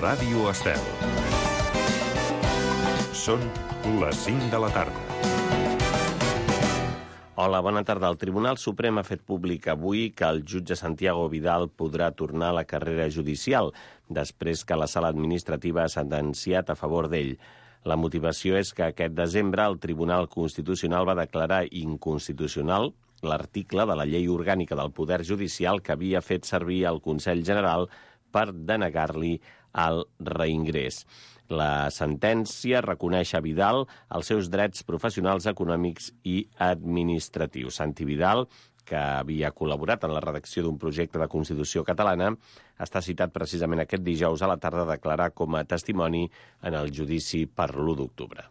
Ràdio Estel. Són les 5 de la tarda. Hola, bona tarda. El Tribunal Suprem ha fet públic avui que el jutge Santiago Vidal podrà tornar a la carrera judicial després que la sala administrativa ha sentenciat a favor d'ell. La motivació és que aquest desembre el Tribunal Constitucional va declarar inconstitucional l'article de la Llei Orgànica del Poder Judicial que havia fet servir el Consell General per denegar-li el reingrés. La sentència reconeix a Vidal els seus drets professionals, econòmics i administratius. Santi Vidal, que havia col·laborat en la redacció d'un projecte de Constitució catalana, està citat precisament aquest dijous a la tarda a declarar com a testimoni en el judici per l'1 d'octubre.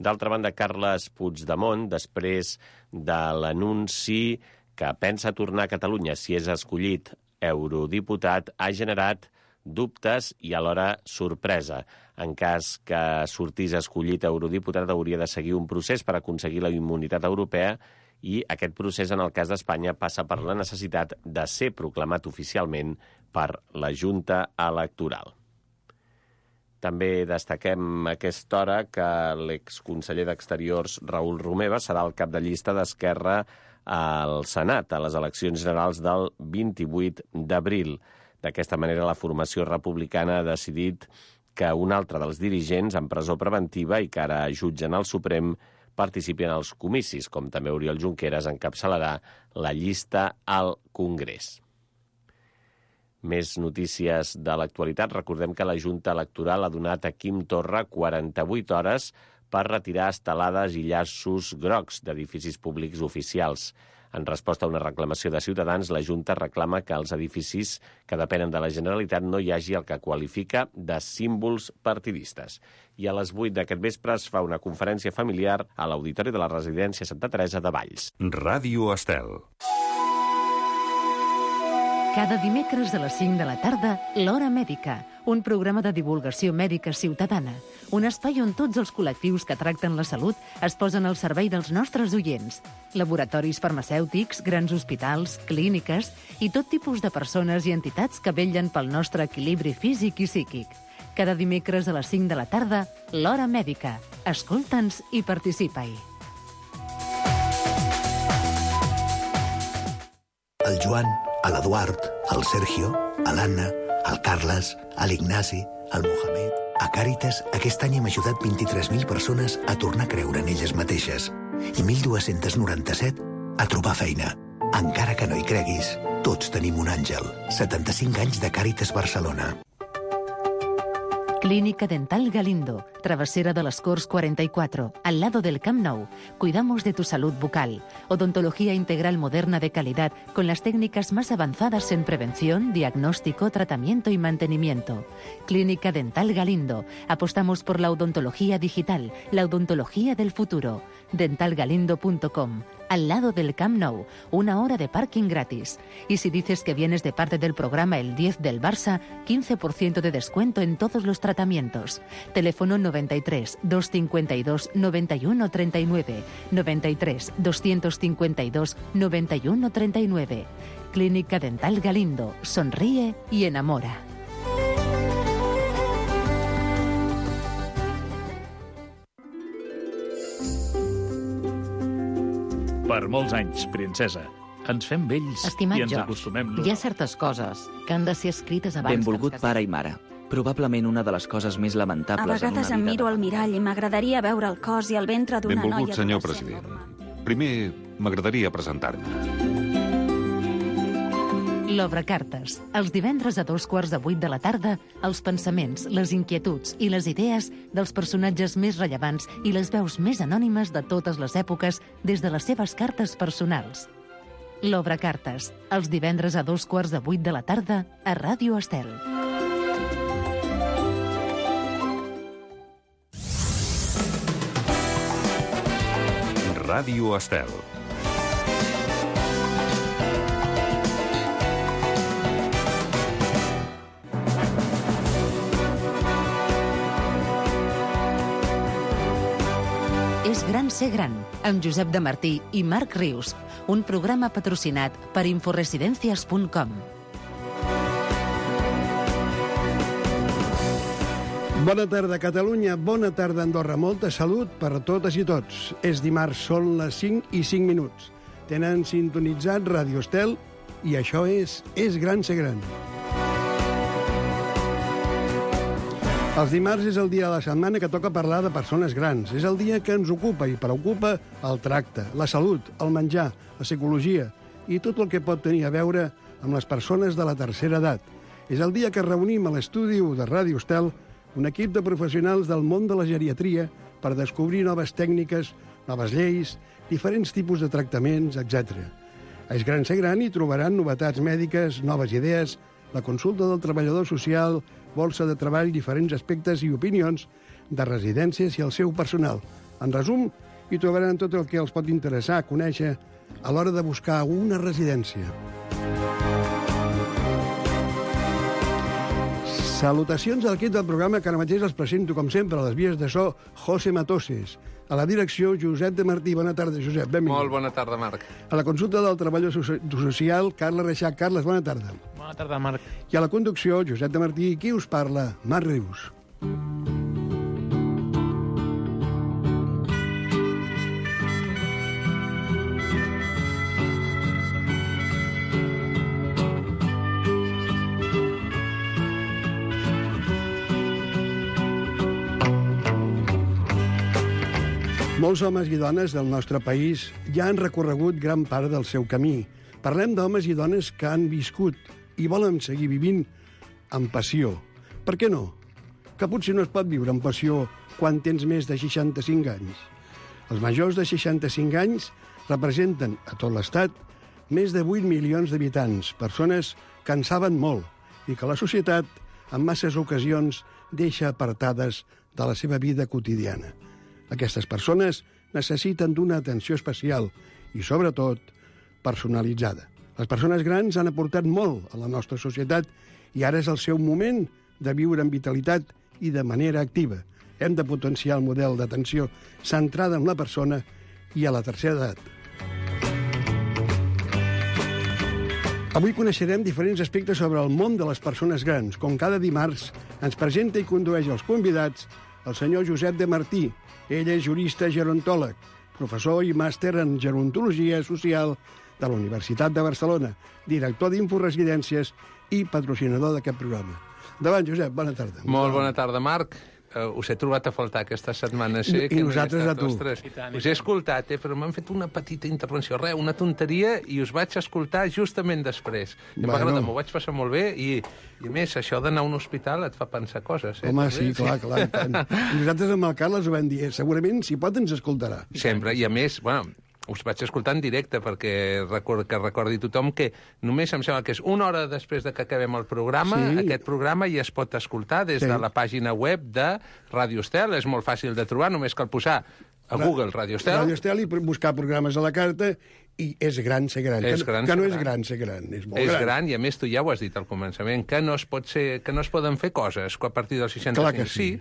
D'altra banda, Carles Puigdemont, després de l'anunci que pensa tornar a Catalunya si és escollit eurodiputat, ha generat dubtes i alhora sorpresa. En cas que sortís escollit eurodiputat, hauria de seguir un procés per aconseguir la immunitat europea i aquest procés, en el cas d'Espanya, passa per la necessitat de ser proclamat oficialment per la Junta Electoral. També destaquem a aquesta hora que l'exconseller d'Exteriors, Raül Romeva, serà el cap de llista d'Esquerra al Senat a les eleccions generals del 28 d'abril. D'aquesta manera, la formació republicana ha decidit que un altre dels dirigents en presó preventiva i que ara jutgen al Suprem participi en els comicis, com també Oriol Junqueras encapçalarà la llista al Congrés. Més notícies de l'actualitat. Recordem que la Junta Electoral ha donat a Quim Torra 48 hores per retirar estelades i llaços grocs d'edificis públics oficials. En resposta a una reclamació de Ciutadans, la Junta reclama que als edificis que depenen de la Generalitat no hi hagi el que qualifica de símbols partidistes. I a les 8 d'aquest vespre es fa una conferència familiar a l'Auditori de la Residència Santa Teresa de Valls. Ràdio Estel. Cada dimecres a les 5 de la tarda, l'Hora Mèdica, un programa de divulgació mèdica ciutadana, un espai on tots els col·lectius que tracten la salut es posen al servei dels nostres oients. Laboratoris farmacèutics, grans hospitals, clíniques i tot tipus de persones i entitats que vetllen pel nostre equilibri físic i psíquic. Cada dimecres a les 5 de la tarda, l'Hora Mèdica. Escolta'ns i participa-hi. El Joan, l'Eduard, el Sergio, l'Anna, el Carles, l'Ignasi, el Mohamed... A Càritas, aquest any hem ajudat 23.000 persones a tornar a creure en elles mateixes i 1.297 a trobar feina. Encara que no hi creguis, tots tenim un àngel. 75 anys de Càritas Barcelona. Clínica Dental Galindo, Travesera de las Corts 44, al lado del Camp Nou. Cuidamos de tu salud bucal. Odontología integral moderna de calidad con las técnicas más avanzadas en prevención, diagnóstico, tratamiento y mantenimiento. Clínica Dental Galindo. Apostamos por la odontología digital, la odontología del futuro. dentalgalindo.com. Al lado del Camp Nou, 1 hora de parking gratis. Y si dices que vienes de parte del programa El 10 del Barça, 15% de descuento en todos los tratamientos. Teléfono 93 252 91 39, 93 252 91 39. Clínica Dental Galindo. Sonríe y enamora. Per molts anys, princesa. Ens fem vells Estimat i ens George, acostumem... hi ha certes coses que han de ser escrites abans Benvolgut que ens pare i mare. Probablement una de les coses més lamentables A vegades em miro al mirall i m'agradaria veure el cos i el ventre d'una noia... Benvolgut, senyor president. Primer, m'agradaria presentar-me. L'Obrecartes. Els divendres a 7:15 de la tarda, els pensaments, les inquietuds i les idees dels personatges més rellevants i les veus més anònimes de totes les èpoques des de les seves cartes personals. L'Obrecartes. Els divendres a 7:15 de la tarda a Ràdio Estel. Ràdio Estel. És gran ser gran, amb Josep de Martí i Marc Rius, un programa patrocinat per inforesidencias.com. Bona tarda, Catalunya. Bona tarda, Andorra. Molta salut per a totes i tots. És dimarts, són les 5:05. Tenen sintonitzat Radio Estel i això és Gran ser gran. Els dimarts és el dia de la setmana que toca parlar de persones grans. És el dia que ens ocupa i preocupa el tracte, la salut, el menjar, la psicologia i tot el que pot tenir a veure amb les persones de la tercera edat. És el dia que reunim a l'estudi de Radio Estel un equip de professionals del món de la geriatria per descobrir noves tècniques, noves lleis, diferents tipus de tractaments, etc. A És Gran ser gran hi trobaran novetats mèdiques, noves idees, la consulta del treballador social, bolsa de treball, diferents aspectes i opinions de residències i el seu personal. En resum, hi trobaran tot el que els pot interessar conèixer a l'hora de buscar una residència. Salutacions a l'equip del programa, que ara mateix els presento, com sempre, a les vies de so, José Matoses. A la direcció, Josep de Martí. Bona tarda, Josep. Benvingut. Molt bona tarda, Marc. A la consulta del treballador social, Carles Reixac. Carles, bona tarda. Bona tarda, Marc. I a la conducció, Josep de Martí. Qui us parla? Marc Rius. Molts homes i dones del nostre país ja han recorregut gran part del seu camí. Parlem d'homes i dones que han viscut i volen seguir vivint amb passió. Per què no? Que potser no es pot viure amb passió quan tens més de 65 anys. Els majors de 65 anys representen a tot l'Estat més de 8 milions d'habitants, persones que en saben molt i que la societat, en masses ocasions, deixa apartades de la seva vida quotidiana. Aquestes persones necessiten d'una atenció especial i, sobretot, personalitzada. Les persones grans han aportat molt a la nostra societat i ara és el seu moment de viure amb vitalitat i de manera activa. Hem de potenciar el model d'atenció centrada en la persona i a la tercera edat. Avui coneixerem diferents aspectes sobre el món de les persones grans. Com cada dimarts, ens presenta i condueix els convidats el senyor Josep de Martí. Ell és jurista gerontòleg, professor i màster en gerontologia social de la Universitat de Barcelona, director d'Inforesidències i patrocinador d'aquest programa. Endavant, Josep, bona tarda. Molt bona tarda, Marc. Us he trobat a faltar aquesta setmana. I nosaltres a tu. Us he escoltat, però m'han fet una petita intervenció, una tonteria, i us vaig escoltar justament després. M'ho vaig passar molt bé, i a més, això d'anar a un hospital et fa pensar coses. Home, sí, clar. Nosaltres amb el Carles ho vam dir, segurament, si pot, ens escoltarà. Sempre, i a més, us vaig escoltar en directe perquè recordi tothom que només em sembla que és una hora després de que acabem el programa, aquest programa ja es pot escoltar des de la pàgina web de Radio Estel. És molt fàcil de trobar, només cal posar a Google Radio Estel. Radio Estel i buscar programes a la carta, i és gran ser gran. Que no és gran ser gran, és molt gran. És gran, i a més tu ja ho has dit al començament, que no es poden fer coses a partir dels 65. Clar que sí.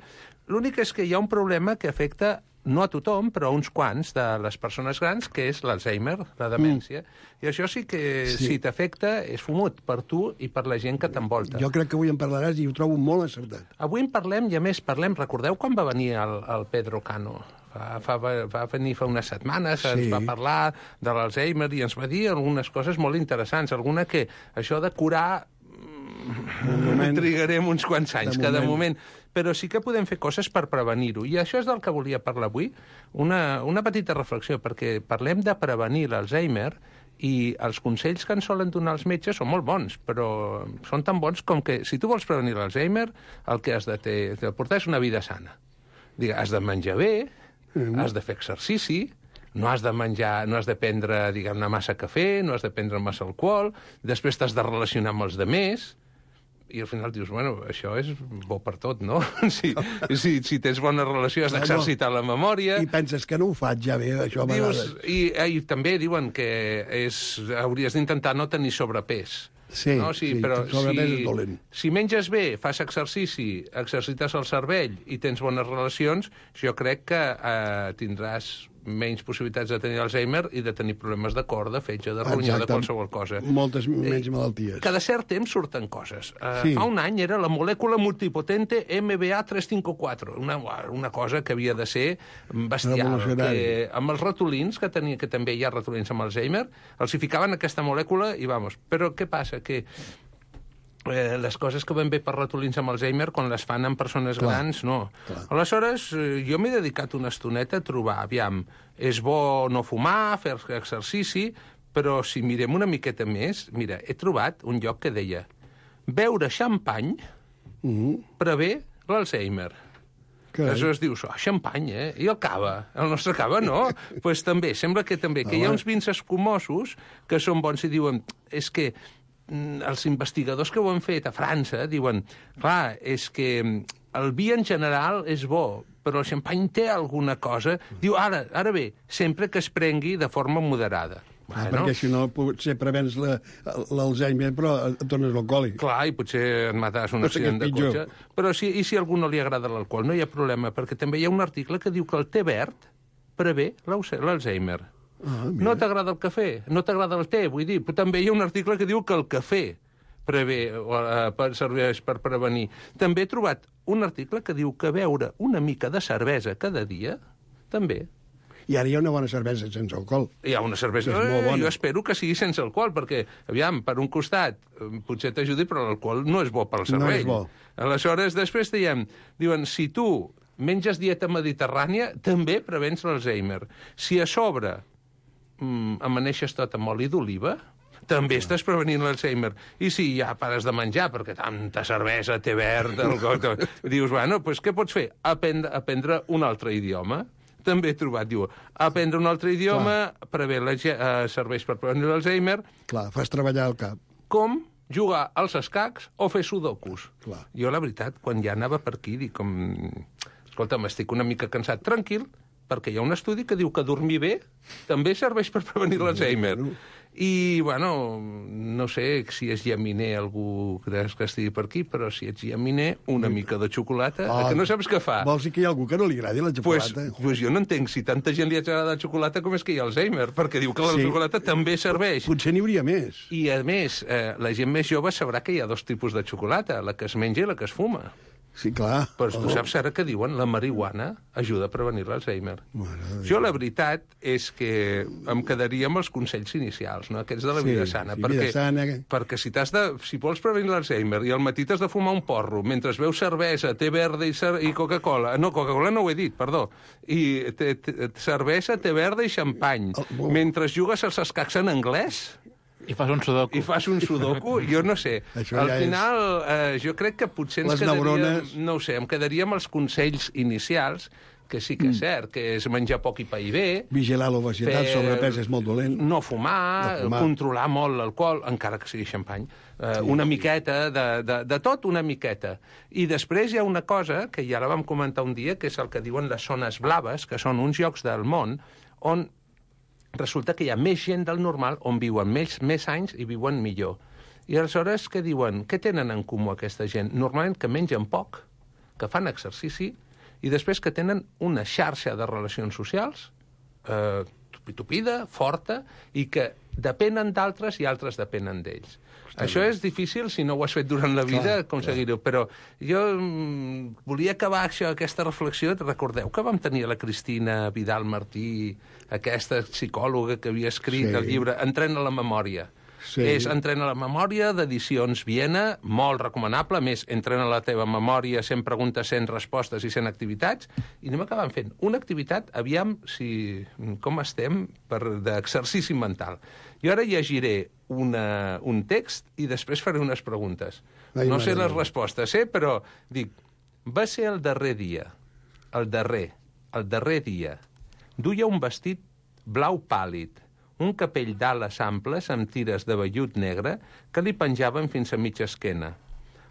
L'únic és que hi ha un problema que afecta no a tothom, però a uns quants de les persones grans, que és l'Alzheimer, la demència. I això sí que, si t'afecta, és fumut per tu i per la gent que t'envolta. Jo crec que avui en parlaràs i ho trobo molt acertat. Avui en parlem, i a més parlem, recordeu quan va venir el Pedro Cano? Va venir fa unes setmanes, ens va parlar de l'Alzheimer i ens va dir algunes coses molt interessants. Alguna que això de curar trigarem uns quants anys, que de moment... Però sí que podem fer coses per prevenir-ho. I això és del que volia parlar avui. Una petita reflexió, perquè parlem de prevenir l'Alzheimer i els consells que ens solen donar els metges són molt bons, però són tan bons com que si tu vols prevenir l'Alzheimer, el que has de portar és una vida sana. Has de menjar bé, has de fer exercici, no has de prendre, diguem-ne, massa cafè, no has de prendre massa alcohol, després t'has de relacionar amb els demés, i al final dius, això és bo per tot, no? Si tens bona relació has d'exercitar la memòria. I penses que no ho faig ja bé, això a vegades. I també diuen que hauries d'intentar no tenir sobrepès. Sí, sobrepès és dolent. Si menges bé, fas exercici, exercites el cervell i tens bones relacions, jo crec que tindràs menys possibilitats de tenir Alzheimer i de tenir problemes de cor, de fetge, de ronyó, de qualsevol cosa. Moltes menys malalties. Cada cert temps surten coses. Fa un any era la molècula multipotente MBA354, una cosa que havia de ser bestial. Que amb els ratolins, que també hi ha ratolins amb Alzheimer, els hi ficaven aquesta molècula i vamos. Però què passa? Que les coses que van bé per ratolins amb Alzheimer, quan les fan amb persones grans, no. Aleshores, jo m'he dedicat una estoneta a trobar, aviam, és bo no fumar, fer exercici, però si mirem una miqueta més, mira, he trobat un lloc que deia beure xampany prevé l'Alzheimer. Aleshores dius, xampany, I el cava? El nostre cava no? Doncs pues també, sembla que també, que hi ha uns vins escumosos que són bons i diuen, és que els investigadors que ho han fet a França diuen, clar, és que el vi en general és bo, però el xampany té alguna cosa. Diu, ara bé, sempre que es prengui de forma moderada. Perquè si no potser prevens l'Alzheimer, però et tornes alcohòlic. Clar, i potser et mates un accident de cotxe. Però i si a algú no li agrada l'alcohol? No hi ha problema, perquè també hi ha un article que diu que el té verd prevé l'Alzheimer. No t'agrada el cafè, no t'agrada el té, vull dir, però també hi ha un article que diu que el cafè serveix per prevenir. També he trobat un article que diu que beure una mica de cervesa cada dia, també. I ara hi ha una bona cervesa sense alcohol. Hi ha una cervesa, jo espero que sigui sense alcohol, perquè, aviam, per un costat, potser t'ajudi, però l'alcohol no és bo pel cervell. No és bo. Aleshores, després diuen, si tu menges dieta mediterrània, també prevens l'Alzheimer. Si a sobre amaneixes tot amb oli d'oliva, també estàs prevenint l'Alzheimer. I si ja pares de menjar, perquè tanta cervesa, té verd, dius, bueno, doncs què pots fer? Aprendre un altre idioma. També he trobat, diu, aprendre un altre idioma serveix per prevenir l'Alzheimer. Clar, fas treballar el cap. Com jugar als escacs o fer sudokus. Clar. Jo, la veritat, quan ja anava per aquí, dic, escolta, m'estic una mica cansat, tranquil, perquè hi ha un estudi que diu que dormir bé també serveix per prevenir l'Alzheimer. I, bueno, no sé si és llaminer algú que estigui per aquí, però si ets llaminer, una mica de xocolata, que no saps què fa. Vols dir que hi ha algú que no li agradi la xocolata? Pues jo no entenc si tanta gent li agrada la xocolata com és que hi ha Alzheimer, perquè diu que la xocolata també serveix. Potser n'hi hauria més. I, a més, la gent més jove sabrà que hi ha dos tipus de xocolata, la que es menja i la que es fuma. Sí, clar. Però tu saps ara que diuen la marihuana ajuda a prevenir l'Alzheimer. Jo la veritat és que em quedaria amb els consells inicials, no? Aquests de la vida sana. Perquè si vols prevenir l'Alzheimer i al matí t'has de fumar un porro mentre beus cervesa, té verda i Coca-Cola... No, Coca-Cola no ho he dit, perdó. I cervesa, té verda i xampany. Mentre jugues als escacs en anglès... I fas un sudoku. Jo no sé. Al final, jo crec que potser ens quedaríem... No ho sé, em quedaria amb els consells inicials, que sí que és cert, que és menjar poc i pair bé... Vigilar l'obesitat, sobrepès és molt dolent. No fumar, controlar molt l'alcohol, encara que sigui xampany. Una miqueta, de tot una miqueta. I després hi ha una cosa, que ja la vam comentar un dia, que és el que diuen les zones blaves, que són uns llocs del món on resulta que hi ha més gent del normal on viuen més anys i viuen millor. I aleshores, què diuen? Què tenen en comú aquesta gent? Normalment que mengen poc, que fan exercici, i després que tenen una xarxa de relacions socials tupida, forta, i que depenen d'altres i altres depenen d'ells. Això és difícil, si no ho has fet durant la vida, aconseguir-ho. Però jo volia acabar aquesta reflexió. Recordeu que vam tenir la Cristina Vidal Martí, aquesta psicòloga que havia escrit el llibre Entrena la memòria. És Entrena la memòria, d'Edicions Viena, molt recomanable. A més, entrena la teva memòria 100 preguntes, 100 respostes i 100 activitats. I anem acabant fent una activitat, aviam com estem d'exercici mental. Jo ara llegiré un text i després faré unes preguntes. No sé les respostes, però dic, va ser el darrer dia, el darrer dia. Duia un vestit blau pàl·lid, un capell d'ales amples amb tires de vellut negre que li penjaven fins a mitja esquena.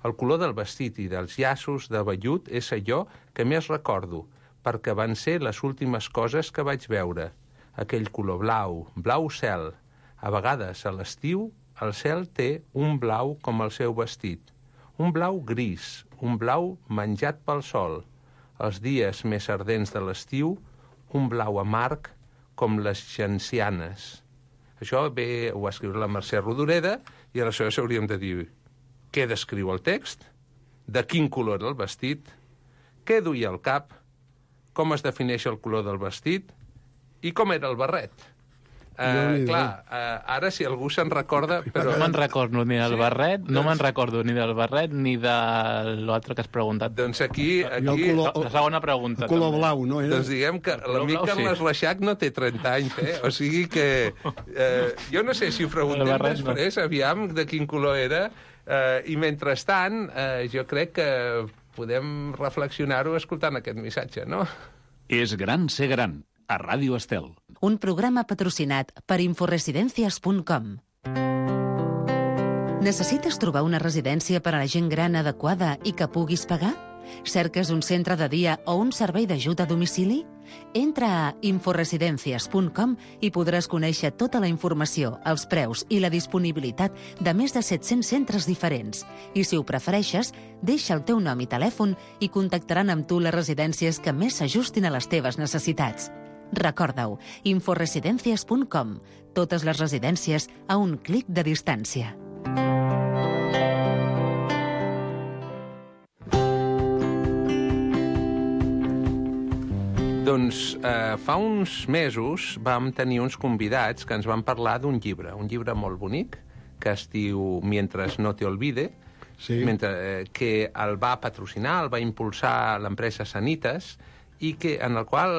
El color del vestit i dels llaços de vellut és allò que més recordo, perquè van ser les últimes coses que vaig veure. Aquell color blau, blau cel. A vegades, a l'estiu, el cel té un blau com el seu vestit. Un blau gris, un blau menjat pel sol. Els dies més ardents de l'estiu, un blau amarg com les gencianes. Això ho va escriure la Mercè Rodoreda, i aleshores hauríem de dir què descriu el text, de quin color era el vestit, què duia al cap, com es defineix el color del vestit i com era el barret. Ara, si algú se'n recorda... Però... No me'n recordo ni del barret, no me'n recordo ni del barret ni de l'altre que has preguntat. Doncs aquí... La segona pregunta. El color blau, no? Doncs diguem que l'amic Carles Reixac no té 30 anys, O sigui que... Jo no sé si ho preguntem després, aviam de quin color era, i mentrestant jo crec que podem reflexionar-ho escoltant aquest missatge, no? És gran ser gran, a Ràdio Estel. Un programa patrocinat per inforesidencias.com. Necessites trobar una residència per a la gent gran adequada i que puguis pagar? Cerques un centre de dia o un servei d'ajut a domicili? Entra a inforesidencias.com i podràs conèixer tota la informació, els preus i la disponibilitat de més de 700 centres diferents. I si ho prefereixes, deixa el teu nom i telèfon i contactaran amb tu les residències que més s'ajustin a les teves necessitats. Recorda-ho, inforesidencias.com. Totes les residències a un clic de distància. Doncs fa uns mesos vam tenir uns convidats que ens van parlar d'un llibre molt bonic, que es diu Mientras no te olvide, que el va patrocinar, el va impulsar l'empresa Sanitas, i en el qual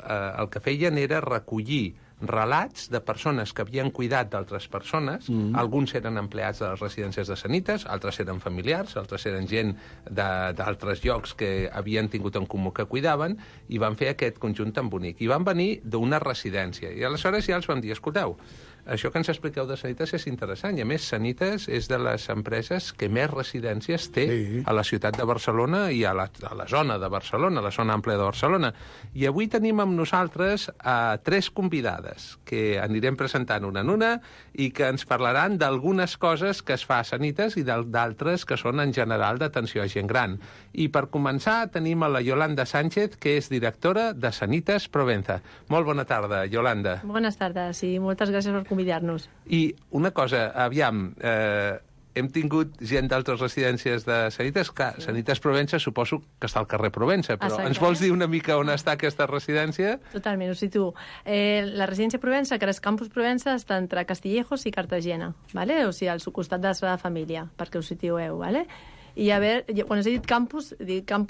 el que feien era recollir relats de persones que havien cuidat d'altres persones. Alguns eren empleats de les residències de Sanitas, altres eren familiars, altres eren gent d'altres llocs que havien tingut en comú que cuidaven, i van fer aquest conjunt tan bonic. I van venir d'una residència. I aleshores ja els vam dir, escolteu, això que ens expliqueu de Sanitas és interessant, i a més Sanitas és de les empreses que més residències té a la ciutat de Barcelona i a la zona de Barcelona, a la zona àmplia de Barcelona. I avui tenim amb nosaltres 3 convidades que anirem presentant una en una i que ens parlaran d'algunes coses que es fa a Sanitas i d'altres que són en general d'atenció a gent gran. I per començar tenim a la Yolanda Sánchez, que és directora de Sanitas Provenza. Molt bona tarda, Yolanda. Bones tardes i moltes gràcies per convidar-nos. I una cosa, aviam, hem tingut gent d'altres residències de Sanitas. Sanitas Provenza suposo que està al carrer Provenza, però ens vols dir una mica on està aquesta residència? Totalment, ho situo. La residència Provenza, que és Campus Provenza, està entre Castillejos i Cartagena, ¿vale? O sigui, al costat de la seva família, perquè ho situeu, ¿vale? I a veure, quan he dit campus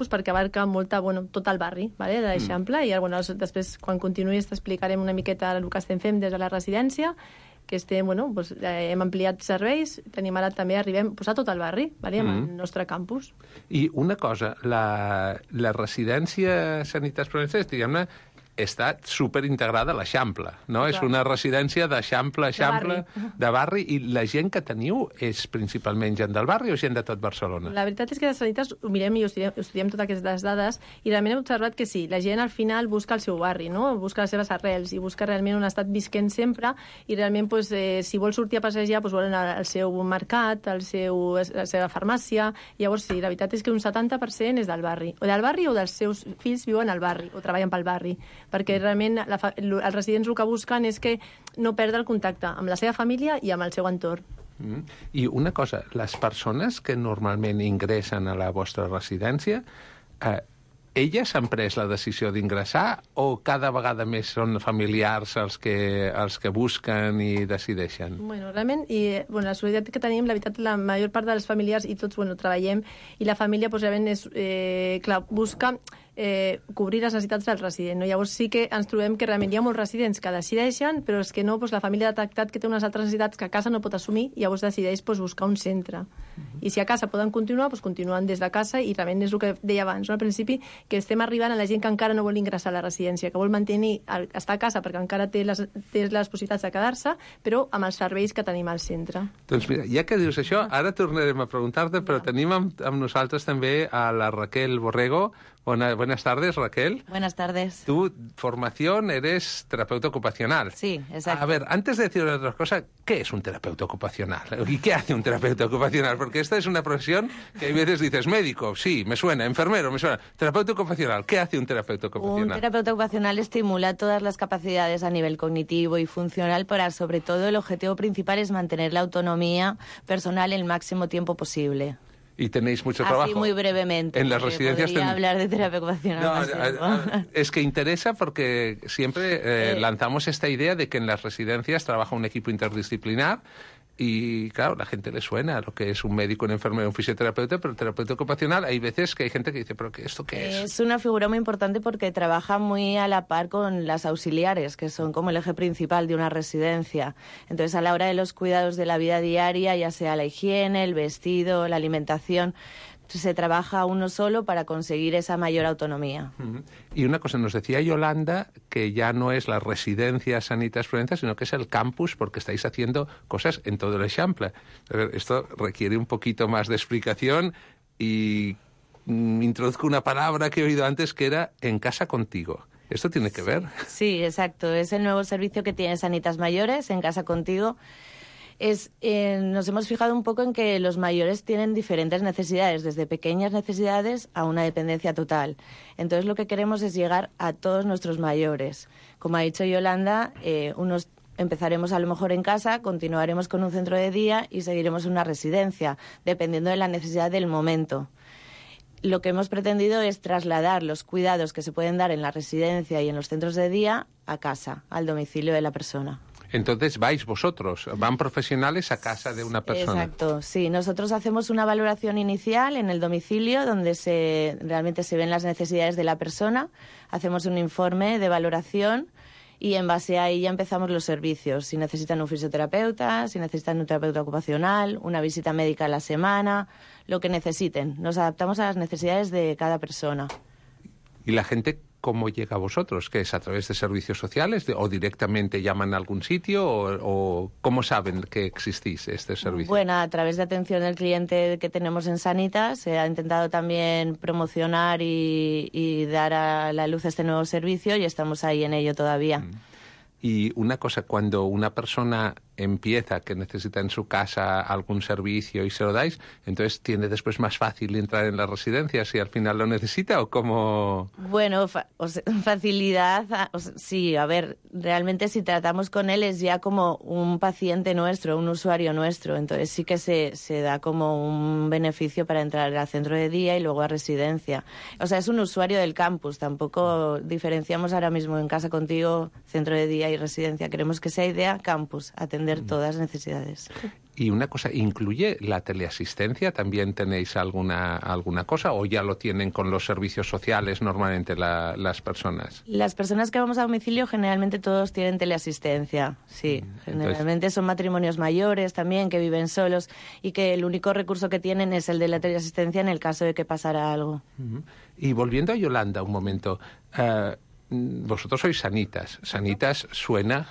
perquè abarca tot el barri, ¿vale? De l'Eixample, i després, quan continuï, t'explicarem una miqueta el que estem fent des de la residència, que hem ampliat serveis, tenim ara també, arribem a tot el barri, ¿vale? Amb el nostre campus. I una cosa, la residència Sanitas Provenza, diguem-ne, està superintegrada a l'Eixample, no? És una residència d'Eixample, de barri, i la gent que teniu és principalment gent del barri o gent de tot Barcelona? La veritat és que de Sanitas ho mirem i estudiem totes aquestes dades, i realment hem observat que sí, la gent al final busca el seu barri, no? Busca les seves arrels i busca realment on ha estat visquent sempre, i realment si vol sortir a passejar volen el seu mercat, la seva farmàcia. Llavors sí, la veritat és que un 70% és del barri o dels seus fills viuen al barri o treballen pel barri, perquè realment els residents el que busquen és que no perdre el contacte amb la seva família i amb el seu entorn. I una cosa, les persones que normalment ingressen a la vostra residència, elles han pres la decisió d'ingressar o cada vegada més són familiars els que busquen i decideixen? Realment, la solidaritat que tenim, la veritat, la major part dels familiars i tots treballem, i la família realment busca cobrir les necessitats del resident, no? Llavors sí que ens trobem que realment hi ha molts residents que decideixen, però és que no, la família ha detectat que té unes altres necessitats que a casa no pot assumir, i llavors decideix buscar un centre. I si a casa poden continuar, continuen des de casa, i realment és el que deia abans, no? Al principi, que estem arribant a la gent que encara no vol ingressar a la residència, que vol mantenir, estar a casa perquè encara té les possibilitats de quedar-se, però amb els serveis que tenim al centre. Doncs mira, ja que dius això, ara tornarem a preguntar-te, però tenim amb nosaltres també a la Raquel Borrego. Buenas tardes, Raquel. Buenas tardes. Tu formación eres terapeuta ocupacional. Sí, exacto. A ver, antes de decir otras cosas, ¿qué es un terapeuta ocupacional? ¿Y qué hace un terapeuta ocupacional? Porque esta es una profesión que hay veces dices, médico, sí, me suena, enfermero, me suena. Terapeuta ocupacional, ¿qué hace un terapeuta ocupacional? Un terapeuta ocupacional estimula todas las capacidades a nivel cognitivo y funcional para, sobre todo, el objetivo principal es mantener la autonomía personal el máximo tiempo posible. Y tenéis mucho trabajo. Así muy brevemente. En las residencias podría hablar de terapia ocupacional. Es que interesa porque siempre lanzamos esta idea de que en las residencias trabaja un equipo interdisciplinar y, claro, la gente le suena a lo que es un médico, un enfermero, un fisioterapeuta, pero el terapeuta ocupacional hay veces que hay gente que dice, ¿pero esto qué es? Es una figura muy importante porque trabaja muy a la par con las auxiliares, que son como el eje principal de una residencia. Entonces, a la hora de los cuidados de la vida diaria, ya sea la higiene, el vestido, la alimentación, se trabaja uno solo para conseguir esa mayor autonomía. Y una cosa, nos decía Yolanda que ya no es la residencia Sanitas Provenza, sino que es el campus, porque estáis haciendo cosas en todo el Eixample. Esto requiere un poquito más de explicación y introduzco una palabra que he oído antes que era en casa contigo. ¿Esto tiene que ver? Sí, exacto. Es el nuevo servicio que tiene Sanitas Mayores, en casa contigo. Nos hemos fijado un poco en que los mayores tienen diferentes necesidades, desde pequeñas necesidades a una dependencia total. Entonces, lo que queremos es llegar a todos nuestros mayores. Como ha dicho Yolanda, empezaremos a lo mejor en casa, continuaremos con un centro de día y seguiremos en una residencia, dependiendo de la necesidad del momento. Lo que hemos pretendido es trasladar los cuidados que se pueden dar en la residencia y en los centros de día a casa, al domicilio de la persona. Entonces vais vosotros, van profesionales a casa de una persona. Exacto, sí. Nosotros hacemos una valoración inicial en el domicilio donde realmente se ven las necesidades de la persona, hacemos un informe de valoración y en base a ahí ya empezamos los servicios. Si necesitan un fisioterapeuta, si necesitan un terapeuta ocupacional, una visita médica a la semana, lo que necesiten. Nos adaptamos a las necesidades de cada persona. ¿Y la gente cómo llega a vosotros? ¿Que es a través de servicios sociales o directamente llaman a algún sitio o cómo saben que existís este servicio? Bueno, a través de atención al cliente que tenemos en Sanitas se ha intentado también promocionar y dar a la luz este nuevo servicio y estamos ahí en ello todavía. Y una cosa, cuando una persona empieza que necesita en su casa algún servicio y se lo dais, entonces tiene después más fácil entrar en la residencia si al final lo necesita o cómo... Bueno, facilidad, sí, a ver, realmente si tratamos con él es ya como un paciente nuestro, un usuario nuestro, entonces sí que se da como un beneficio para entrar al centro de día y luego a residencia. O sea, es un usuario del campus, tampoco diferenciamos ahora mismo en casa contigo, centro de día y residencia, queremos que sea idea campus, atender todas las necesidades. Y una cosa, ¿incluye la teleasistencia? ¿También tenéis alguna cosa o ya lo tienen con los servicios sociales normalmente las personas? Las personas que vamos a domicilio generalmente todos tienen teleasistencia, sí. Generalmente son matrimonios mayores también que viven solos y que el único recurso que tienen es el de la teleasistencia en el caso de que pasara algo. Y volviendo a Yolanda un momento, vosotros sois Sanitas. Sanitas suena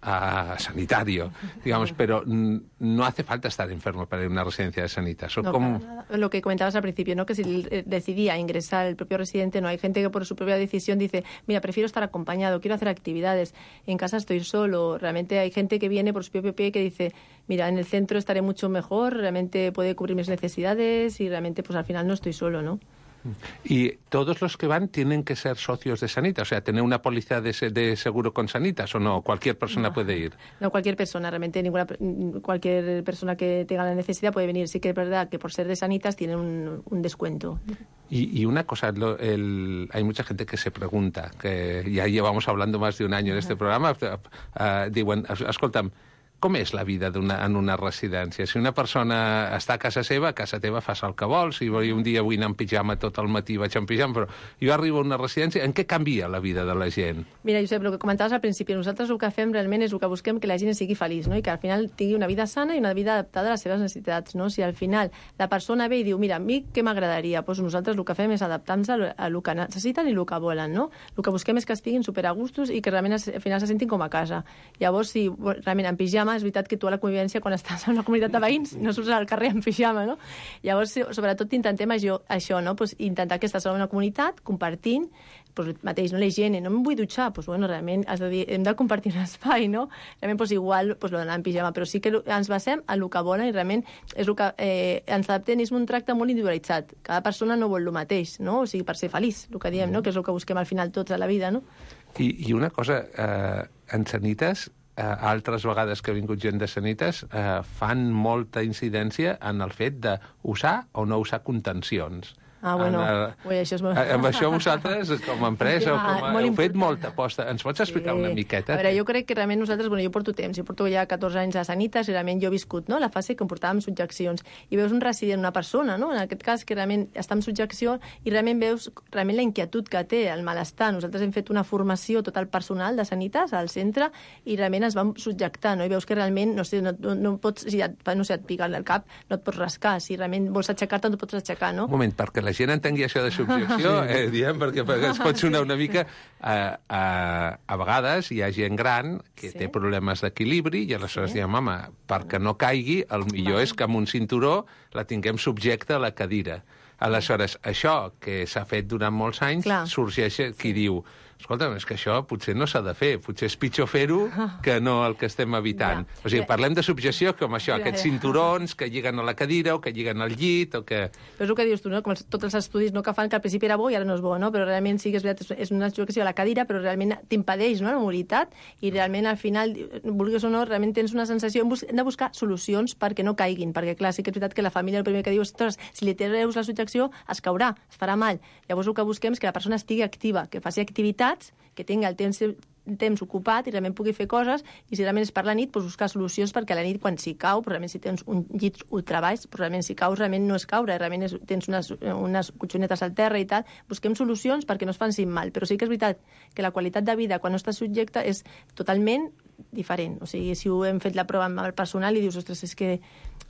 a sanitario, digamos, pero no hace falta estar enfermo para ir a una residencia de Sanitas. ¿O no, cómo? Lo que comentabas al principio, ¿no? Que si decidía ingresar el propio residente, no hay gente que por su propia decisión dice, mira, prefiero estar acompañado, quiero hacer actividades, en casa estoy solo. Realmente hay gente que viene por su propio pie que dice, mira, en el centro estaré mucho mejor, realmente puede cubrir mis necesidades y realmente pues al final no estoy solo, ¿no? ¿Y todos los que van tienen que ser socios de Sanitas? O sea, ¿tener una póliza de seguro con Sanitas o no? ¿Cualquier persona puede ir? No, cualquier persona. Realmente cualquier persona que tenga la necesidad puede venir. Sí que es verdad que por ser de Sanitas tienen un descuento. Y una cosa, hay mucha gente que se pregunta, que ya llevamos hablando más de un año en este programa, diuen, escolta'm, com és la vida en una residència? Si una persona està a casa teva fas el que vols, si un dia vull anar en pijama tot el matí vaig en pijama, però jo arribo a una residència, en què canvia la vida de la gent? Mira, Josep, el que comentaves al principi, nosaltres el que fem realment és el que busquem que la gent sigui feliç, no? I que al final tingui una vida sana i una vida adaptada a les seves necessitats, no? Si al final la persona ve i diu, mira, a mi què m'agradaria? Doncs nosaltres el que fem és adaptar-nos a el que necessiten i el que volen, no? El que busquem és que estiguin superagustos i que realment al final se sentin com a casa. Llavors, si realment en pijama pijama, és veritat que tu a la convivència, quan estàs en una comunitat de veïns, no surts al carrer en pijama, no? Llavors, sobretot, intentem això, no? Pues, intentar que estàs en una comunitat, compartint, pues, mateix, no? La higiene, no em vull dutxar, pues, bueno, realment has de dir, hem de compartir un espai, no? Realment, pues, igual, pues, lo d'anar en pijama, però sí que ens basem en el que volen i realment és el que ens adaptem, és un tracte molt individualitzat. Cada persona no vol el mateix, no? O sigui, per ser feliç, el que diem, no? Que és el que busquem al final tots a la vida, no? I una cosa, en Sanitas, altres vegades que ha vingut gent de Sanitas, fan molta incidència en el fet d'usar o no usar contencions. Ah, bueno, això és molt... Amb això vosaltres, com a empresa, heu fet molta aposta. Ens pots explicar una miqueta? A veure, jo crec que realment nosaltres, jo porto temps, jo porto ja 14 anys a Sanitas i realment jo he viscut, no?, la fase que portàvem subjeccions. I veus un resident, una persona, no?, en aquest cas, que realment està en subjecció i realment veus realment la inquietud que té, el malestar. Nosaltres hem fet una formació tot el personal de Sanitas al centre i realment ens vam subjectar, no?, i veus que realment, no sé, no pots, si et pica el cap, no et pots rascar. Si realment vols aixecar-te, no et pots aixecar, no? Un moment, perquè la gent entengui això de subjecció, diem, perquè es pot sonar una mica... A vegades hi ha gent gran que té problemes d'equilibri i aleshores diem, home, perquè no caigui, el millor és que amb un cinturó la tinguem subjecta a la cadira. Aleshores, això que s'ha fet durant molts anys, sorgeix qui diu... Escolta'm, és que això potser no s'ha de fer, potser és pitjor fer-ho que no el que estem evitant. O sigui, parlem de subjecció com això, aquests cinturons que lliguen a la cadira o que lliguen al llit o que... Però és el que dius tu, no? Com tots els estudis no, que fan que al principi era bo i ara no és bo, no? Però realment sí que és veritat, és una subjecció a la cadira, però realment t'impedeix, no?, la mobilitat i realment al final, vulguis o no, realment tens una sensació... Hem de buscar solucions perquè no caiguin, perquè clar, sí que és veritat que la família el primer que diu és, si li treus la subjecció es caurà, es farà mal. Llavors el que busquem és que la persona estigui activa, que faci activitat, que tingui el temps ocupat i realment pugui fer coses, i si realment és per la nit, doncs buscar solucions perquè a la nit, quan s'hi cau, però realment si tens un llit ultrabaix, però realment si caus, realment no és caure, realment tens unes cotxonetes al terra i tal, busquem solucions perquè no es fancin mal, però sí que és veritat que la qualitat de vida quan no estàs subjecte és totalment diferent. O sigui, si ho hem fet la prova amb el personal i dius, ostres, és que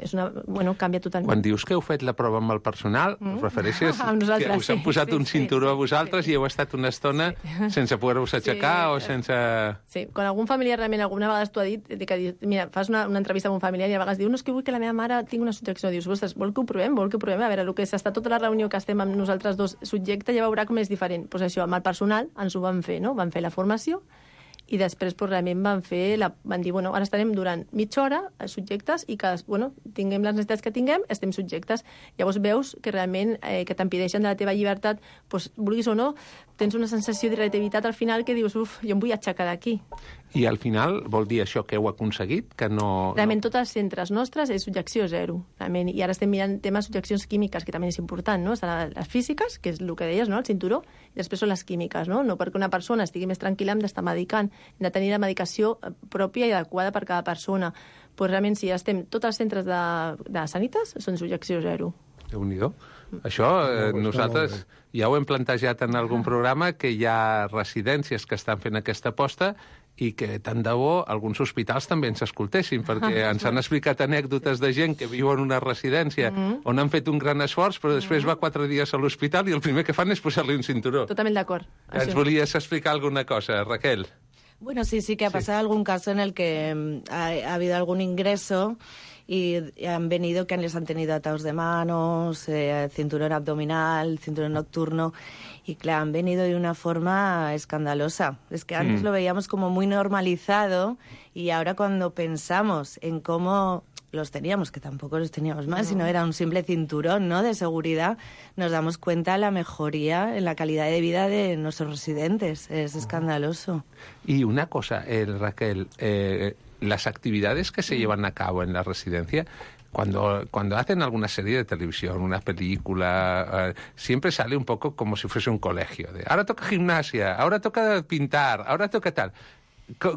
és una... Bueno, canvia totalment. Quan dius que heu fet la prova amb el personal, us refereixes que us han posat un cinturó a vosaltres i heu estat una estona sense poder-vos aixecar o sense... Sí, quan algun familiar realment alguna vegada t'ho ha dit, que mira, fas una entrevista amb un familiar i a vegades diu, no, és que vull que la meva mare tingui una subjecció. Dius, ostres, vol que ho provem? A veure, el que s'està tota la reunió que estem amb nosaltres dos subjectes ja veurà com és diferent. Doncs això, amb el personal ens ho van fer, no? Van fer la formació i després realment van dir, bueno, ara estarem durant mitja hora subjectes i que, bueno, tinguem les necessitats que tinguem, estem subjectes. Llavors veus que realment que t'impedeixen de la teva llibertat, doncs, vulguis o no, tens una sensació d'irritabilitat al final que dius, uf, jo em vull aixecar d'aquí. I al final vol dir això que heu aconseguit? Que no... Realment tots els centres nostres és subjecció zero. Realment. I ara estem mirant temes de subjeccions químiques, que també és important, no? Estan les físiques, que és el que deies, no?, el cinturó, i després són les químiques, no? No perquè una persona estigui més tranquil·la hem d'estar medicant, hem de tenir la medicació pròpia i adequada per cada persona. Pues realment, si estem tots els centres de Sanitas, són subjecció zero. Déu-n'hi-do. Això nosaltres ja ho hem plantejat en algun programa, que hi ha residències que estan fent aquesta aposta i que tant de bo alguns hospitals també ens escoltessin, perquè ens han explicat anècdotes de gent que viu en una residència on han fet un gran esforç, però després va 4 dies a l'hospital i el primer que fan és posar-li un cinturó. Totalment d'acord. Ens volies explicar alguna cosa, Raquel? Bueno, sí que ha pasado algún caso en el que ha habido algún ingreso y han venido que les han tenido atados de manos, cinturón abdominal, cinturón nocturno, y claro, han venido de una forma escandalosa. Es que antes lo veíamos como muy normalizado y ahora cuando pensamos en cómo los teníamos, que tampoco los teníamos más, sino era un simple cinturón, ¿no?, de seguridad, nos damos cuenta de la mejoría en la calidad de vida de nuestros residentes. Es escandaloso. Y una cosa, Raquel, las actividades que se llevan a cabo en la residencia, cuando hacen alguna serie de televisión, una película, siempre sale un poco como si fuese un colegio. De, ahora toca gimnasia, ahora toca pintar, ahora toca tal.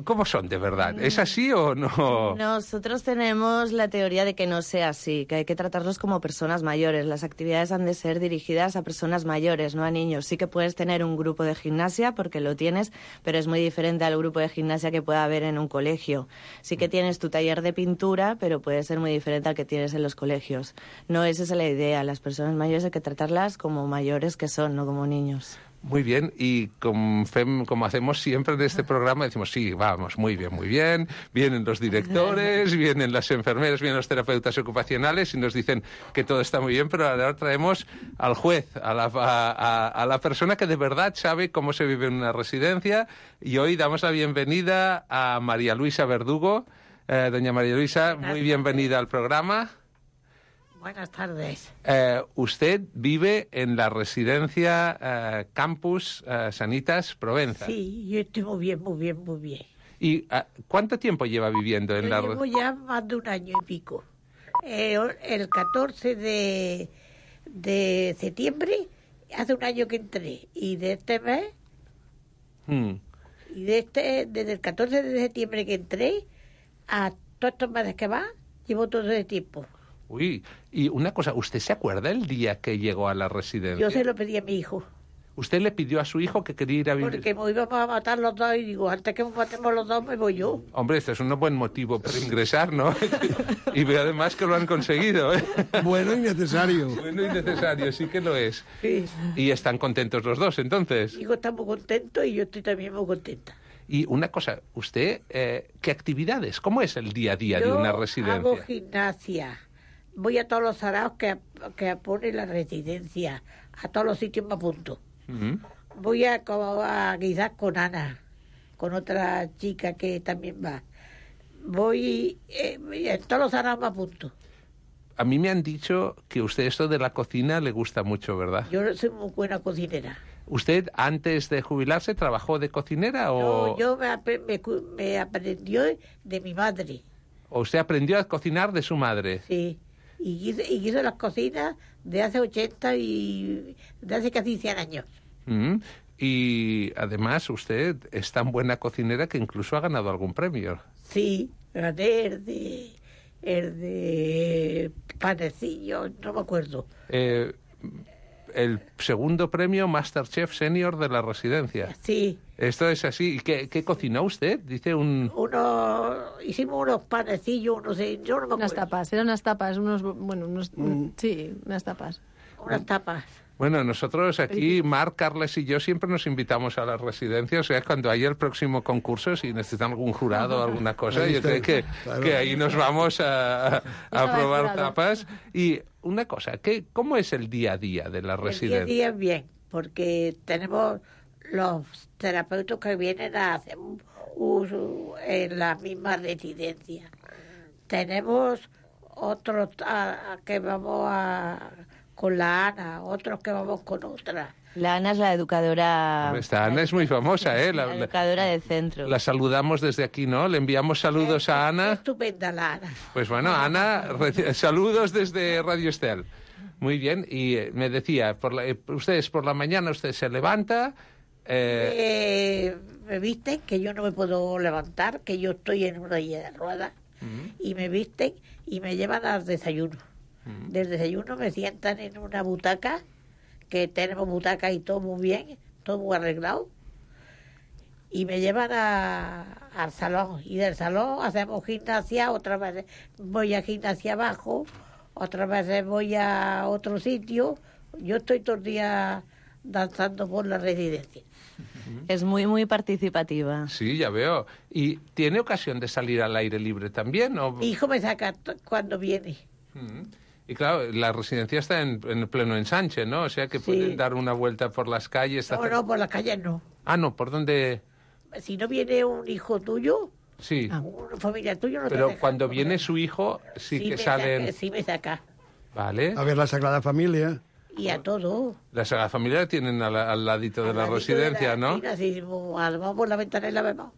¿Cómo son de verdad? ¿Es así o no? Nosotros tenemos la teoría de que no sea así, que hay que tratarlos como personas mayores. Las actividades han de ser dirigidas a personas mayores, no a niños. Sí que puedes tener un grupo de gimnasia, porque lo tienes, pero es muy diferente al grupo de gimnasia que pueda haber en un colegio. Sí que tienes tu taller de pintura, pero puede ser muy diferente al que tienes en los colegios. No, esa es la idea. Las personas mayores hay que tratarlas como mayores que son, no como niños. Muy bien, y como hacemos siempre en este programa, decimos, sí, vamos, muy bien, vienen los directores, vienen las enfermeras, vienen los terapeutas ocupacionales y nos dicen que todo está muy bien, pero ahora traemos al juez, a la persona que de verdad sabe cómo se vive en una residencia, y hoy damos la bienvenida a María Luisa Verdugo. Doña María Luisa, muy bienvenida al programa. Buenas tardes. Usted vive en la residencia Campus Sanitas Provenza. Sí, yo estoy muy bien. ¿Y cuánto tiempo lleva viviendo en la residencia? Llevo ya más de un año y pico. El 14 de septiembre, hace un año que entré. Y de este mes, desde el 14 de septiembre que entré, a todos estos meses que va, llevo todo ese tiempo. Uy, y una cosa, ¿usted se acuerda el día que llegó a la residencia? Yo se lo pedí a mi hijo. ¿Usted le pidió a su hijo que quería ir a vivir? Porque me íbamos a matar los dos y digo, antes que nos matemos los dos me voy yo. Hombre, este es un buen motivo para ingresar, ¿no? Y veo además que lo han conseguido, ¿eh? Bueno y necesario. Bueno y necesario, sí que lo es. Sí. ¿Y están contentos los dos, entonces? Mi hijo está muy contento y yo estoy también muy contenta. Y una cosa, ¿usted qué actividades? ¿Cómo es el día a día de una residencia? Hago gimnasia. Voy a todos los saraos que pone la residencia. A todos los sitios me apunto. Voy a quizás con Ana, con otra chica que también va. Voy en todos los saraos me apunto. A mí me han dicho que usted esto de la cocina le gusta mucho, ¿verdad? Yo soy muy buena cocinera. ¿Usted antes de jubilarse trabajó de cocinera o...? No, yo me aprendió de mi madre. ¿O usted aprendió a cocinar de su madre? Sí. Y hizo las cocinas de hace 80 y de hace casi 100 años. Y además usted es tan buena cocinera que incluso ha ganado algún premio. Sí, gané el de panecillo, no me acuerdo. El segundo premio Masterchef Senior de la residencia. Sí. Esto es así. ¿Y qué cocinó usted? Dice hicimos unos panecillos, yo no me acuerdo. Unas tapas, eran unas tapas, sí, unas tapas. Unas tapas. Bueno, nosotros aquí, Marc, Carles y yo siempre nos invitamos a las residencias, o sea, cuando haya el próximo concurso, si necesitan algún jurado o alguna cosa, yo creo que ahí nos vamos a probar tapas. Y una cosa, ¿cómo es el día a día de la residencia? El día a día bien, porque tenemos los terapeutas que vienen a hacer uso en la misma residencia. Tenemos otros que vamos con la Ana, otros que vamos con otra. La Ana es la educadora... Esta Ana es muy famosa, ¿eh? La educadora del centro. La saludamos desde aquí, ¿no? Le enviamos saludos a Ana. Estupenda la Ana. Pues bueno, Ana, saludos desde Radio Estel. Muy bien, y me decía, ustedes por la mañana, usted se levanta... me visten, que yo no me puedo levantar, que yo estoy en una silla de ruedas, y me visten y me llevan al desayuno. Del desayuno me sientan en una butaca, que tenemos butacas y todo muy bien, todo muy arreglado, y me llevan al salón, y del salón hacemos gimnasia, otras veces voy a gimnasia abajo, otras veces voy a otro sitio. Yo estoy todo el día danzando por la residencia. Es muy, muy participativa. Sí, ya veo. ¿Y tiene ocasión de salir al aire libre también? ¿O? Mi hijo me saca cuando viene. Y claro, la residencia está en pleno ensanche, ¿no? O sea que pueden dar una vuelta por las calles. No, por las calles no. Ah, no, ¿por dónde? Si no viene un hijo tuyo, sí. Una familia tuya no te Pero deja cuando viene su hijo, sí que salen... Sí me saca. Vale. A ver la Sagrada Familia. Y a todo. La Sagrada Familia la tienen al ladito de la residencia, ¿no? Sí, vamos por la ventana y la vemos.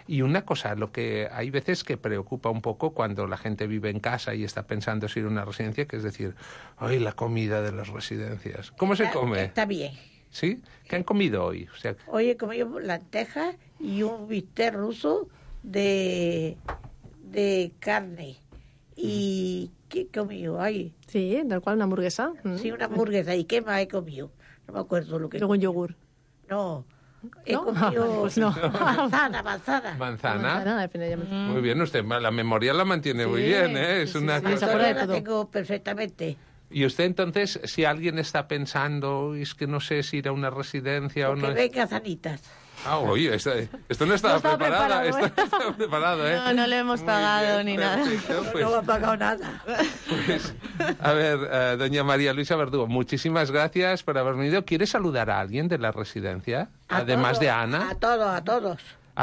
Y una cosa, lo que hay veces que preocupa un poco cuando la gente vive en casa y está pensando si ir a una residencia, que es decir, ¡ay, la comida de las residencias! ¿Cómo se come? Está bien. ¿Sí? ¿Qué han comido hoy? O sea, hoy he comido lentejas y un bistec ruso de carne. ¿Y qué he comido? Ay. Sí, tal cual, una hamburguesa. Sí, una hamburguesa. ¿Y qué más he comido? No me acuerdo lo que... Luego un yogur. No, he comido... Pues no. Manzana. ¿Manzana? Muy bien, usted la memoria la mantiene muy bien, ¿eh? Es una cosa... la tengo perfectamente. Y usted entonces, si alguien está pensando, es que no sé si ir a una residencia o no... Que venga Sanitas. Oye, esto no estaba preparado. Esto no estaba preparado, ¿eh? No le hemos pagado ni nada. Pues, no me ha pagado nada. Pues, a ver, doña María Luisa Verdugo, muchísimas gracias por haber venido. ¿Quiere saludar a alguien de la residencia? Además de Ana. A todos. ¿A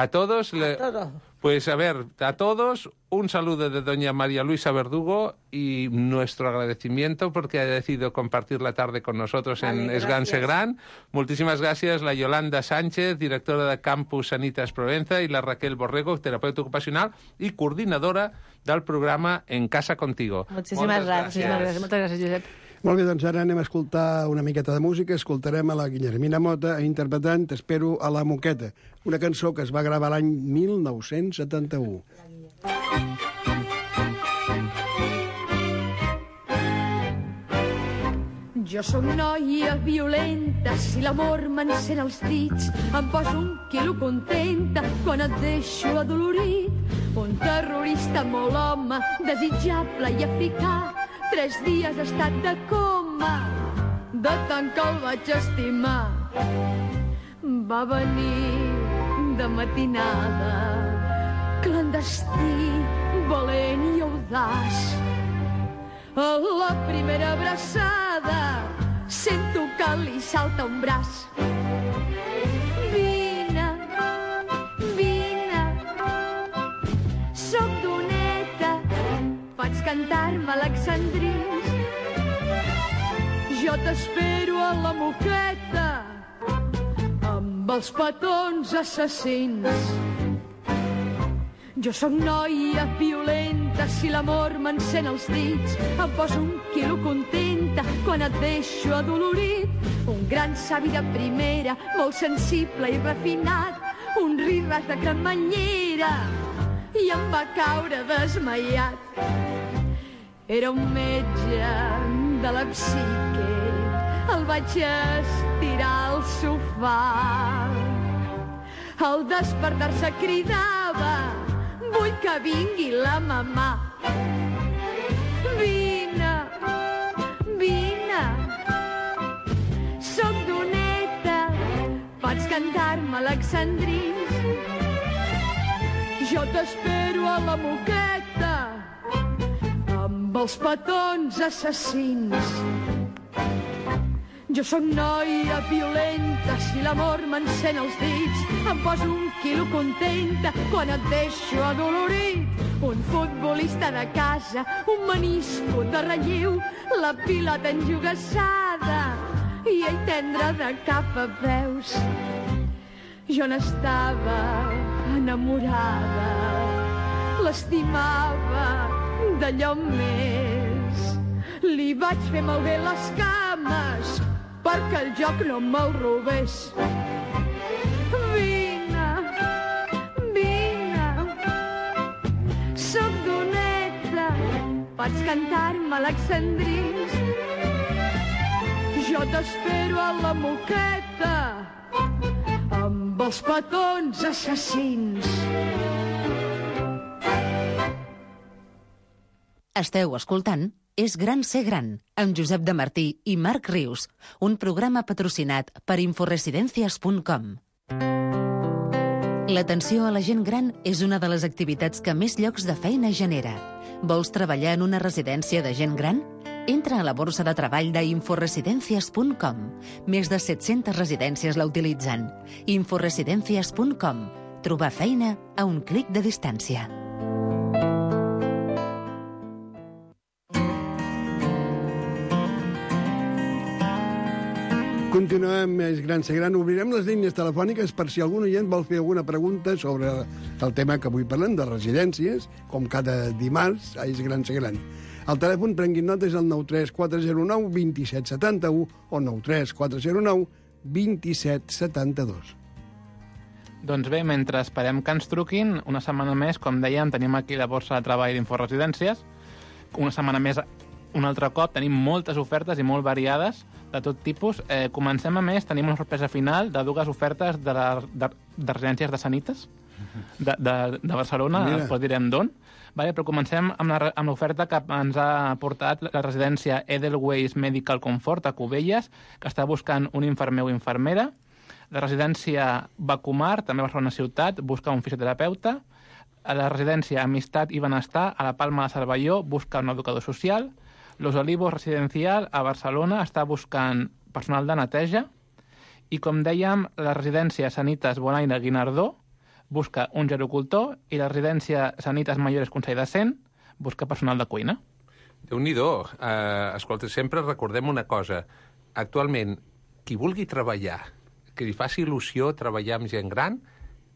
todos? A todos. Pues a ver, a todos un saludo de doña María Luisa Verdugo y nuestro agradecimiento porque ha decidido compartir la tarde con nosotros en Esgan Segran. Muchísimas gracias la Yolanda Sánchez, directora de Campus Sanitas Provenza, y la Raquel Borrego, terapeuta ocupacional i coordinadora del programa En Casa Contigo. Moltes gràcies. Moltes gràcies, Josep. Molt bé, doncs ara anem a escoltar una miqueta de música. Escoltarem a la Guillermina Mota interpretant T'espero a la Moqueta, una cançó que es va gravar l'any 1971. Jo sóc noia violenta, si l'amor m'encén els dits, em poso 1 quilo contenta quan et deixo adolorit. Un terrorista molt home, desitjable i africà, 3 dies ha estat de coma, de tant que el vaig estimar. Va venir de matinada, clandestí, valent i audaç. A la primera abraçada sento que li salta un braç. Vine, vine, soc doneta, pots cantar-me alexandrins. Jo t'espero a la moqueta amb els petons assassins. Jo sóc noia violenta, si l'amor m'encén els dits, em poso 1 quilo contenta quan et deixo adolorit. Un gran savi de primera, molt sensible i refinat, un riràs de cremanyera, i em va caure desmaiat. Era un metge de la psique, el vaig estirar al sofà. Al despertar-se cridava: vull que vingui la mamà. Vine, vine, soc doneta, pots cantar-me alexandrins. Jo t'espero a la moqueta amb els petons assassins. Jo sóc noia violenta, si l'amor m'encén els dits, em poso 1 quilo contenta quan et deixo adolorit. Un futbolista de casa, un menisco de relleu, la pilota enjogassada i ell tendre de cap a peus. Jo n'estava enamorada, l'estimava d'allò més. Li vaig fer malbé les cames perquè el joc no me'l robés. Vine, vine, soc doneta, pots cantar-me alexandrins. Jo t'espero a la moqueta amb els petons assassins. Esteu escoltant És gran ser gran, amb Josep de Martí i Marc Rius, un programa patrocinat per inforesidencias.com. L'atenció a la gent gran és una de les activitats que més llocs de feina genera. Vols treballar en una residència de gent gran? Entra a la borsa de treball d'inforesidencias.com. Més de 700 residències la utilitzen. Inforesidencias.com. Trobar feina a un clic de distància. Continuem més gran ser gran. Obrirem les línies telefòniques per si algun oient vol fer alguna pregunta sobre el tema que avui parlem, de residències, com cada dimarts a És gran ser gran. El telèfon, prenguin nota, és el 93409 2771 o 93409 2772. Doncs bé, mentre esperem que ens truquin, una setmana més, com dèiem, tenim aquí la borsa de treball d'Inforesidències. Una setmana més, un altre cop, tenim moltes ofertes i molt variades, de tot tipus. Comencem, a més, tenim una sorpresa final de 2 ofertes de residències de Sanitas. de Barcelona, després direm d'on. Vale, però comencem amb l'oferta que ens ha portat la residència Edelweiss Medical Comfort a Cubelles, que està buscant un infermer o infermera. La residència Bacumar, també a Barcelona ciutat, busca un fisioterapeuta. A la residència Amistat i Benestar, a la Palma de Cervelló, busca un educador social. Los Olivos Residencial, a Barcelona, està buscant personal de neteja. I, com dèiem, la residència Sanitas Bonaire Guinardó busca un gerocultor i la residència Sanitas Mayores Consell de Cent busca personal de cuina. Déu-n'hi-do. Escolta, sempre recordem una cosa. Actualment, qui vulgui treballar, que li faci il·lusió treballar amb gent gran,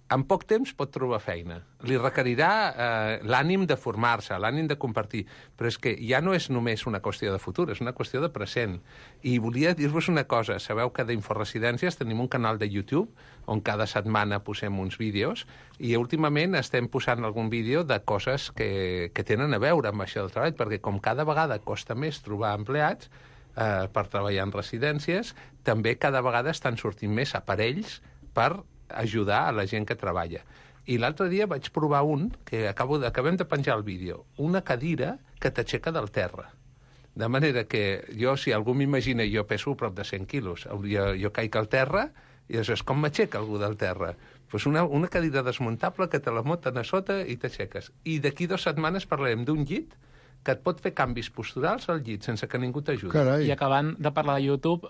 en poc temps pot trobar feina. Li requerirà l'ànim de formar-se, l'ànim de compartir. Però és que ja no és només una qüestió de futur, és una qüestió de present. I volia dir-vos una cosa. Sabeu que d'Inforesidències tenim un canal de YouTube on cada setmana posem uns vídeos i últimament estem posant algun vídeo de coses que tenen a veure amb això del treball, perquè com cada vegada costa més trobar empleats per treballar en residències, també cada vegada estan sortint més aparells per ajudar a la gent que treballa. I l'altre dia vaig provar un, que acabem de penjar el vídeo, una cadira que t'aixeca del terra. De manera que jo, si algú m'imagina, jo peso prop de 100 quilos, jo caic al terra i aleshores com m'aixeca algú del terra? Pues una cadira desmuntable que te la moten a sota i t'aixeques. I d'aquí 2 setmanes parlarem d'un llit que et pot fer canvis posturals al llit sense que ningú t'ajudi. I acabant de parlar de YouTube,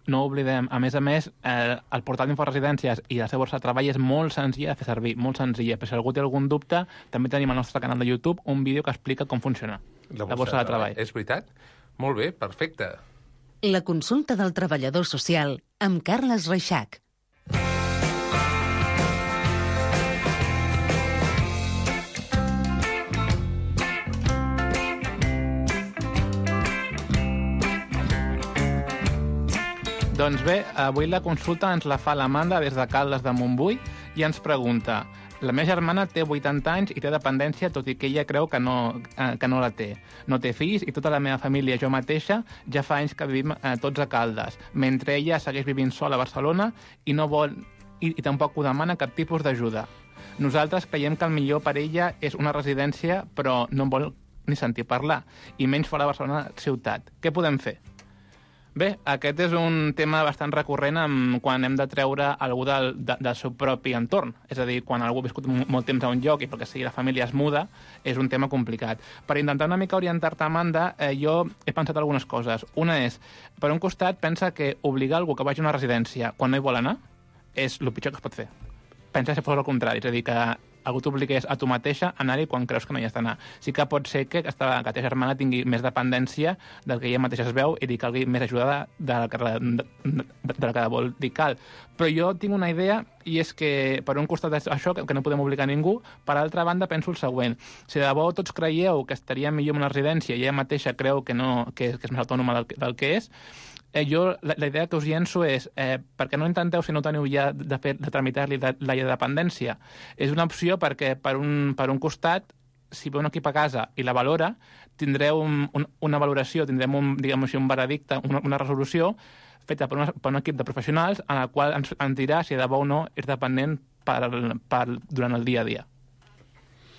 no oblidem, a més, el portal d'Inforesidències i la seva borsa de treball és molt senzilla de fer servir, molt senzilla. Per si algú té algun dubte, també tenim al nostre canal de YouTube un vídeo que explica com funciona la borsa de treball. És veritat? Molt bé, perfecte. La consulta del treballador social amb Carles Reixac. Doncs bé, avui la consulta ens la fa l'Amanda des de Caldes de Montbui i ens pregunta: la meva germana té 80 anys i té dependència, tot i que ella creu que no la té. No té fills i tota la meva família, jo mateixa, ja fa anys que vivim tots a Caldes, mentre ella segueix vivint sola a Barcelona i no vol i tampoc ho demana cap tipus d'ajuda. Nosaltres creiem que el millor per ella és una residència, però no en vol ni sentir parlar, i menys fora de Barcelona ciutat. Què podem fer? Bé, aquest és un tema bastant recurrent quan hem de treure algú del seu propi entorn. És a dir, quan algú ha viscut molt temps a un lloc i perquè sigui la família es muda, és un tema complicat. Per intentar una mica orientar-te, Amanda, jo he pensat algunes coses. Una és, per un costat, pensa que obligar algú que vagi a una residència quan no hi vol anar és el pitjor que es pot fer. Pensa si fos el contrari, és a dir, que algú t'obligués a tu mateixa a anar-hi quan creus que no hi has d'anar. Sí que pot ser que la teva germana tingui més dependència del que ella mateixa es veu i li calgui més ajuda de la que vol dir cal. Però jo tinc una idea, i és que per un costat és això, que no podem obligar ningú, per altra banda penso el següent: si de debò tots creieu que estaria millor en una residència i ella mateixa creu que és més autònoma del que és, jo la idea que us llenço és per què no intenteu, si no teniu ja de tramitar-li la dependència? És una opció perquè per un costat, si ve un equip a casa i la valora, tindreu una valoració, tindrem un veredicte, una resolució feta per un equip de professionals en la qual ens dirà si de bo o no és dependent durant el dia a dia.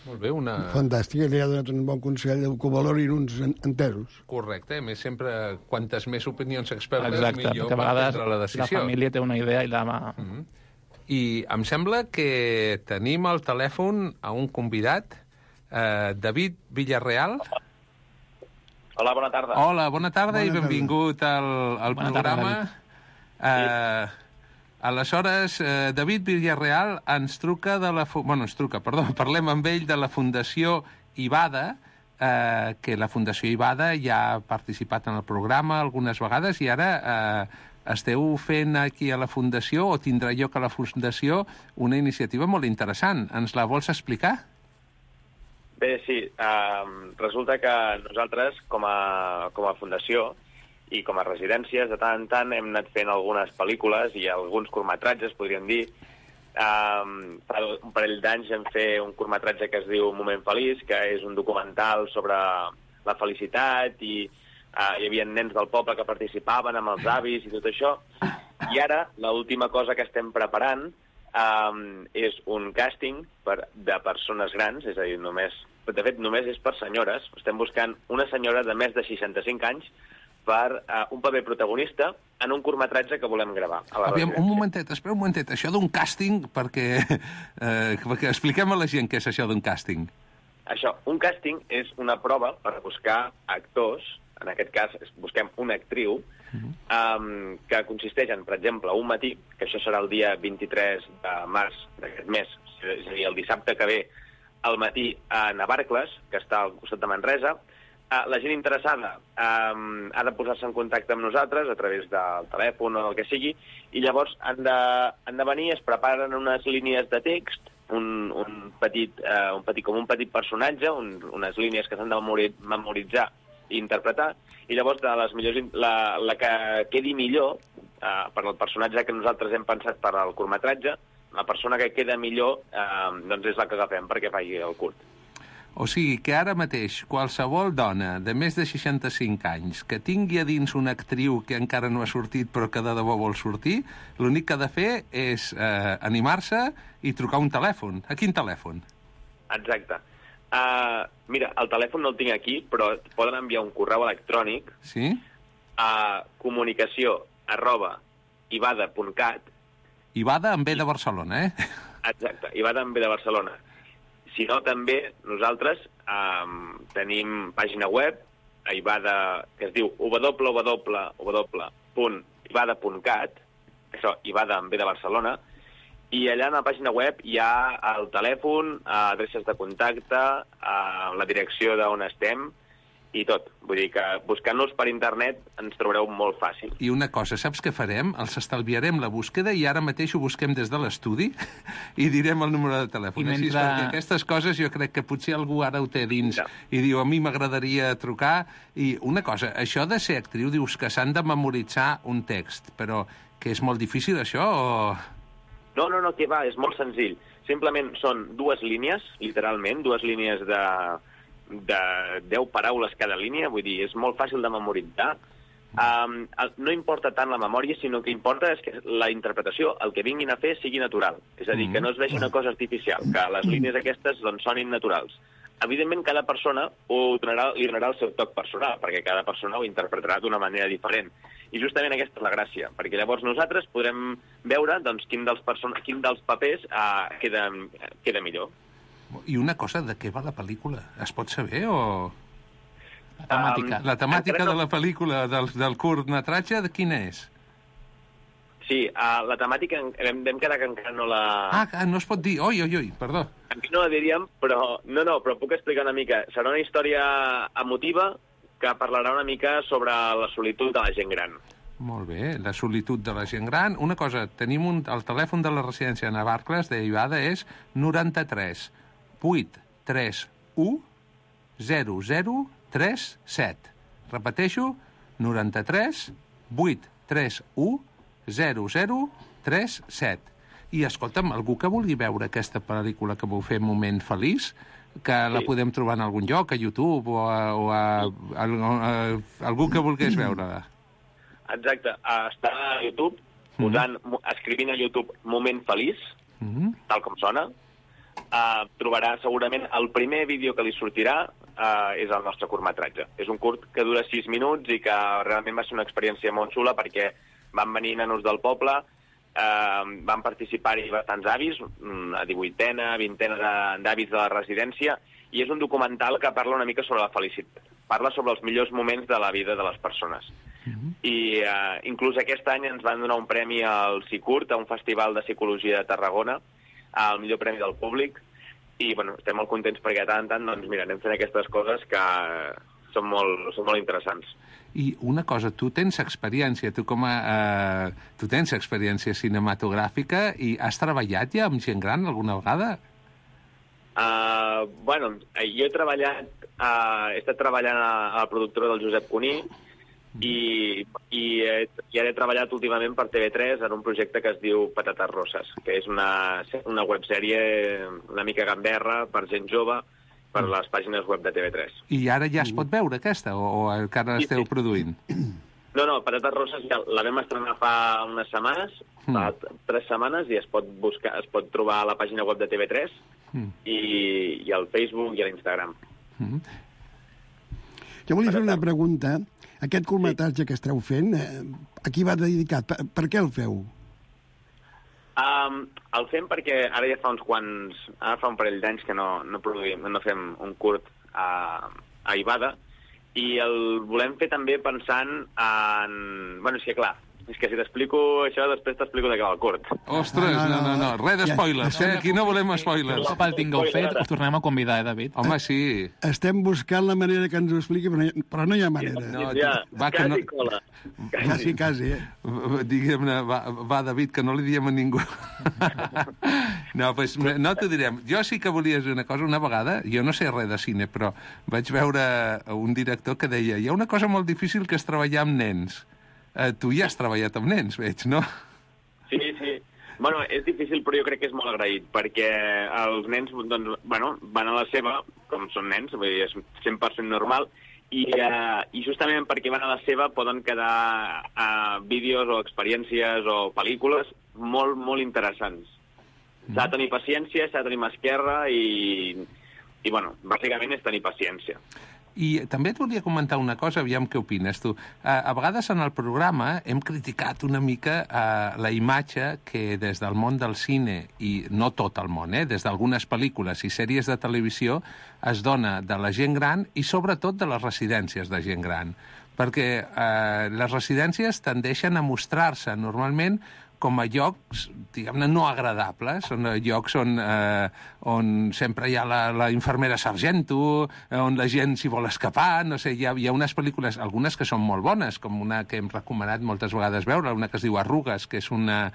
Molt bé, Fantàstic, li ha donat un bon consell que ho valorin uns entesos. Correcte, a més sempre, quantes més opinions expertes, que millor a vegades prendre la decisió. La família té una idea i la va... I em sembla que tenim al telèfon a un convidat, David Villarreal. Hola, bona tarda. Hola, bona tarda i benvingut al programa. Aleshores, David Villarreal ens truca parlem amb ell de la Fundació Ivada, que la Fundació Ivada ja ha participat en el programa algunes vegades i ara esteu fent aquí a la Fundació, o tindrà lloc a la Fundació, una iniciativa molt interessant. Ens la vols explicar? Bé, sí. Resulta que nosaltres, com a Fundació, i com a residències, de tant en tant hem anat fent algunes pel·lícules i alguns curtmetratges, podríem dir. Fa un parell d'anys vam fer un curtmetratge que es diu Moment Feliç, que és un documental sobre la felicitat i hi havia nens del poble que participaven amb els avis i tot això. I ara, l'última cosa que estem preparant és un càsting de persones grans, és a dir, de fet, només és per senyores. Estem buscant una senyora de més de 65 anys per un paper protagonista en un curtmetratge que volem gravar. Aviam, un momentet, espera un momentet. Això d'un càsting, perquè expliquem a la gent què és això d'un càsting. Això, un càsting és una prova per buscar actors, en aquest cas busquem una actriu, que consisteix en, per exemple, un matí, que això serà el dia 23 de març d'aquest mes, és a dir, el dissabte que ve, al matí a Navarcles, que està al costat de Manresa. La gent interessada ha de posar-se en contacte amb nosaltres a través del telèfon o el que sigui, i llavors han de venir, es preparen unes línies de text, un petit personatge, unes línies que s'han de memoritzar i interpretar, i llavors de les millors, la que quedi millor per al personatge que nosaltres hem pensat per al curtmetratge, la persona que queda millor doncs és la que agafem perquè faci el curt. O sigui que ara mateix qualsevol dona de més de 65 anys que tingui a dins una actriu que encara no ha sortit però que de debò vol sortir, l'únic que ha de fer és animar-se i trucar un telèfon. A quin telèfon? Exacte. Mira, el telèfon no el tinc aquí, però poden enviar un correu electrònic a comunicació@ivada.cat. Ivada amb B de Barcelona, Exacte, Ivada amb B de Barcelona. Si no, també nosaltres tenim pàgina web a Ivada, que es diu www.ivada.cat, això, Ivada amb B de Barcelona, i allà a la pàgina web hi ha el telèfon, adreces de contacte, la direcció d'on estem i tot. Vull dir que buscant-nos per internet ens trobareu molt fàcil. I una cosa, saps què farem? Els estalviarem la búsqueda i ara mateix ho busquem des de l'estudi i direm el número de telèfon. Així, perquè aquestes coses jo crec que potser algú ara ho té dins i diu, a mi m'agradaria trucar. I una cosa, això de ser actriu, dius que s'han de memoritzar un text, però que és molt difícil això o...? No, que va, és molt senzill. Simplement són dues línies, literalment, dues línies de 10 paraules cada línia, vull dir, és molt fàcil de memoritzar. No importa tant la memòria, sinó que importa és que la interpretació, el que vinguin a fer, sigui natural. És a dir, que no es vegi una cosa artificial, que les línies aquestes doncs, sonin naturals. Evidentment, cada persona li donarà el seu toc personal, perquè cada persona ho interpretarà d'una manera diferent. I justament aquesta és la gràcia, perquè llavors nosaltres podrem veure doncs, quin dels papers queda millor. I una cosa, de què va la pel·lícula? Es pot saber o...? La temàtica. La temàtica de la pel·lícula, del curtmetratge, de quina és? Sí, la temàtica vam quedar que encara no la... no es pot dir. Oi, perdó. Aquí no la diríem, però però puc explicar una mica. Serà una història emotiva que parlarà una mica sobre la solitud de la gent gran. Molt bé, la solitud de la gent gran. Una cosa, tenim el telèfon de la residència de Navarcles, d'Ivada, és 93 831 0037. Repeteixo, 93 831 0037. I, escolta'm, algú que vulgui veure aquesta pel·lícula que vau fer Moment Feliç, que la podem trobar en algun lloc, a YouTube o a algú que volgués veure-la. Exacte. Està a YouTube, escrivint a YouTube Moment Feliç, tal com sona. Trobarà segurament el primer vídeo que li sortirà és el nostre curtmetratge. És un curt que dura 6 minuts i que realment va ser una experiència molt xula perquè van venir nanos del poble, van participar-hi bastants avis, a 18ena, 20ena d'avis de la residència, i és un documental que parla una mica sobre la felicitat. Parla sobre els millors moments de la vida de les persones. I inclús aquest any ens van donar un premi al Cicurt, a un festival de psicologia de Tarragona, el millor premi del públic, i bueno, estem molt contents perquè tant doncs mira, anem fent aquestes coses que són molt interessants. I una cosa, tu tens experiència, tu tens experiència cinematogràfica i has treballat ja amb gent gran alguna vegada? Jo he estat treballant a la productora del Josep Cuní i ara he treballat últimament per TV3 en un projecte que es diu Patates Rosses, que és una websèrie una mica gamberra per gent jove per les pàgines web de TV3. I ara ja es pot veure aquesta o encara esteu produint? No, Patates Roses ja la vam estrenar fa unes setmanes, fa 3 setmanes, i es pot trobar a la pàgina web de TV3 i al Facebook i a l'Instagram. Jo volia fer una pregunta. Aquest curtmetratge que esteu fent, a qui va dedicat? Per què el feu? El fem perquè ara ja fa un parell d'anys que no fem un curt a Ivada, i el volem fer també pensant en... Bueno, és que clar, és que si t'explico això, després t'explico de què va el curt. Ostres, no, res de spoilers, aquí no volem spoilers. Un cop el tingueu fet, us tornem a convidar, David? Home, sí. Estem buscant la manera que ens ho expliqui, però no hi ha manera. Quasi cola. Quasi. Diguem-ne, va, David, que no li diem a ningú. No, doncs no t'ho direm. Jo sí que volia dir una cosa. Una vegada, jo no sé res de cine, però vaig veure un director que deia hi ha una cosa molt difícil que és treballar amb nens. Tu ja has treballat amb nens, veig, no? Sí. Bueno, és difícil, però jo crec que és molt agraït, perquè els nens, doncs, bueno, van a la seva, com són nens, vull dir, és 100% normal, i justament perquè van a la seva poden quedar vídeos o experiències o pel·lícules molt, molt interessants. S'ha de tenir paciència, s'ha de tenir mà esquerra i, bueno, bàsicament és tenir paciència. I també et volia comentar una cosa, aviam què opines tu. A vegades en el programa hem criticat una mica la imatge que des del món del cine, i no tot el món, des d'algunes pel·lícules i sèries de televisió, es dona de la gent gran i sobretot de les residències de gent gran. Perquè les residències tendeixen a mostrar-se normalment com a llocs, diguem-ne, no agradables, són llocs on sempre hi ha la infermera sargento, on la gent s'hi vol escapar, no sé, hi ha unes pel·lícules, algunes que són molt bones, com una que hem recomanat moltes vegades veure, una que es diu Arrugues, que és una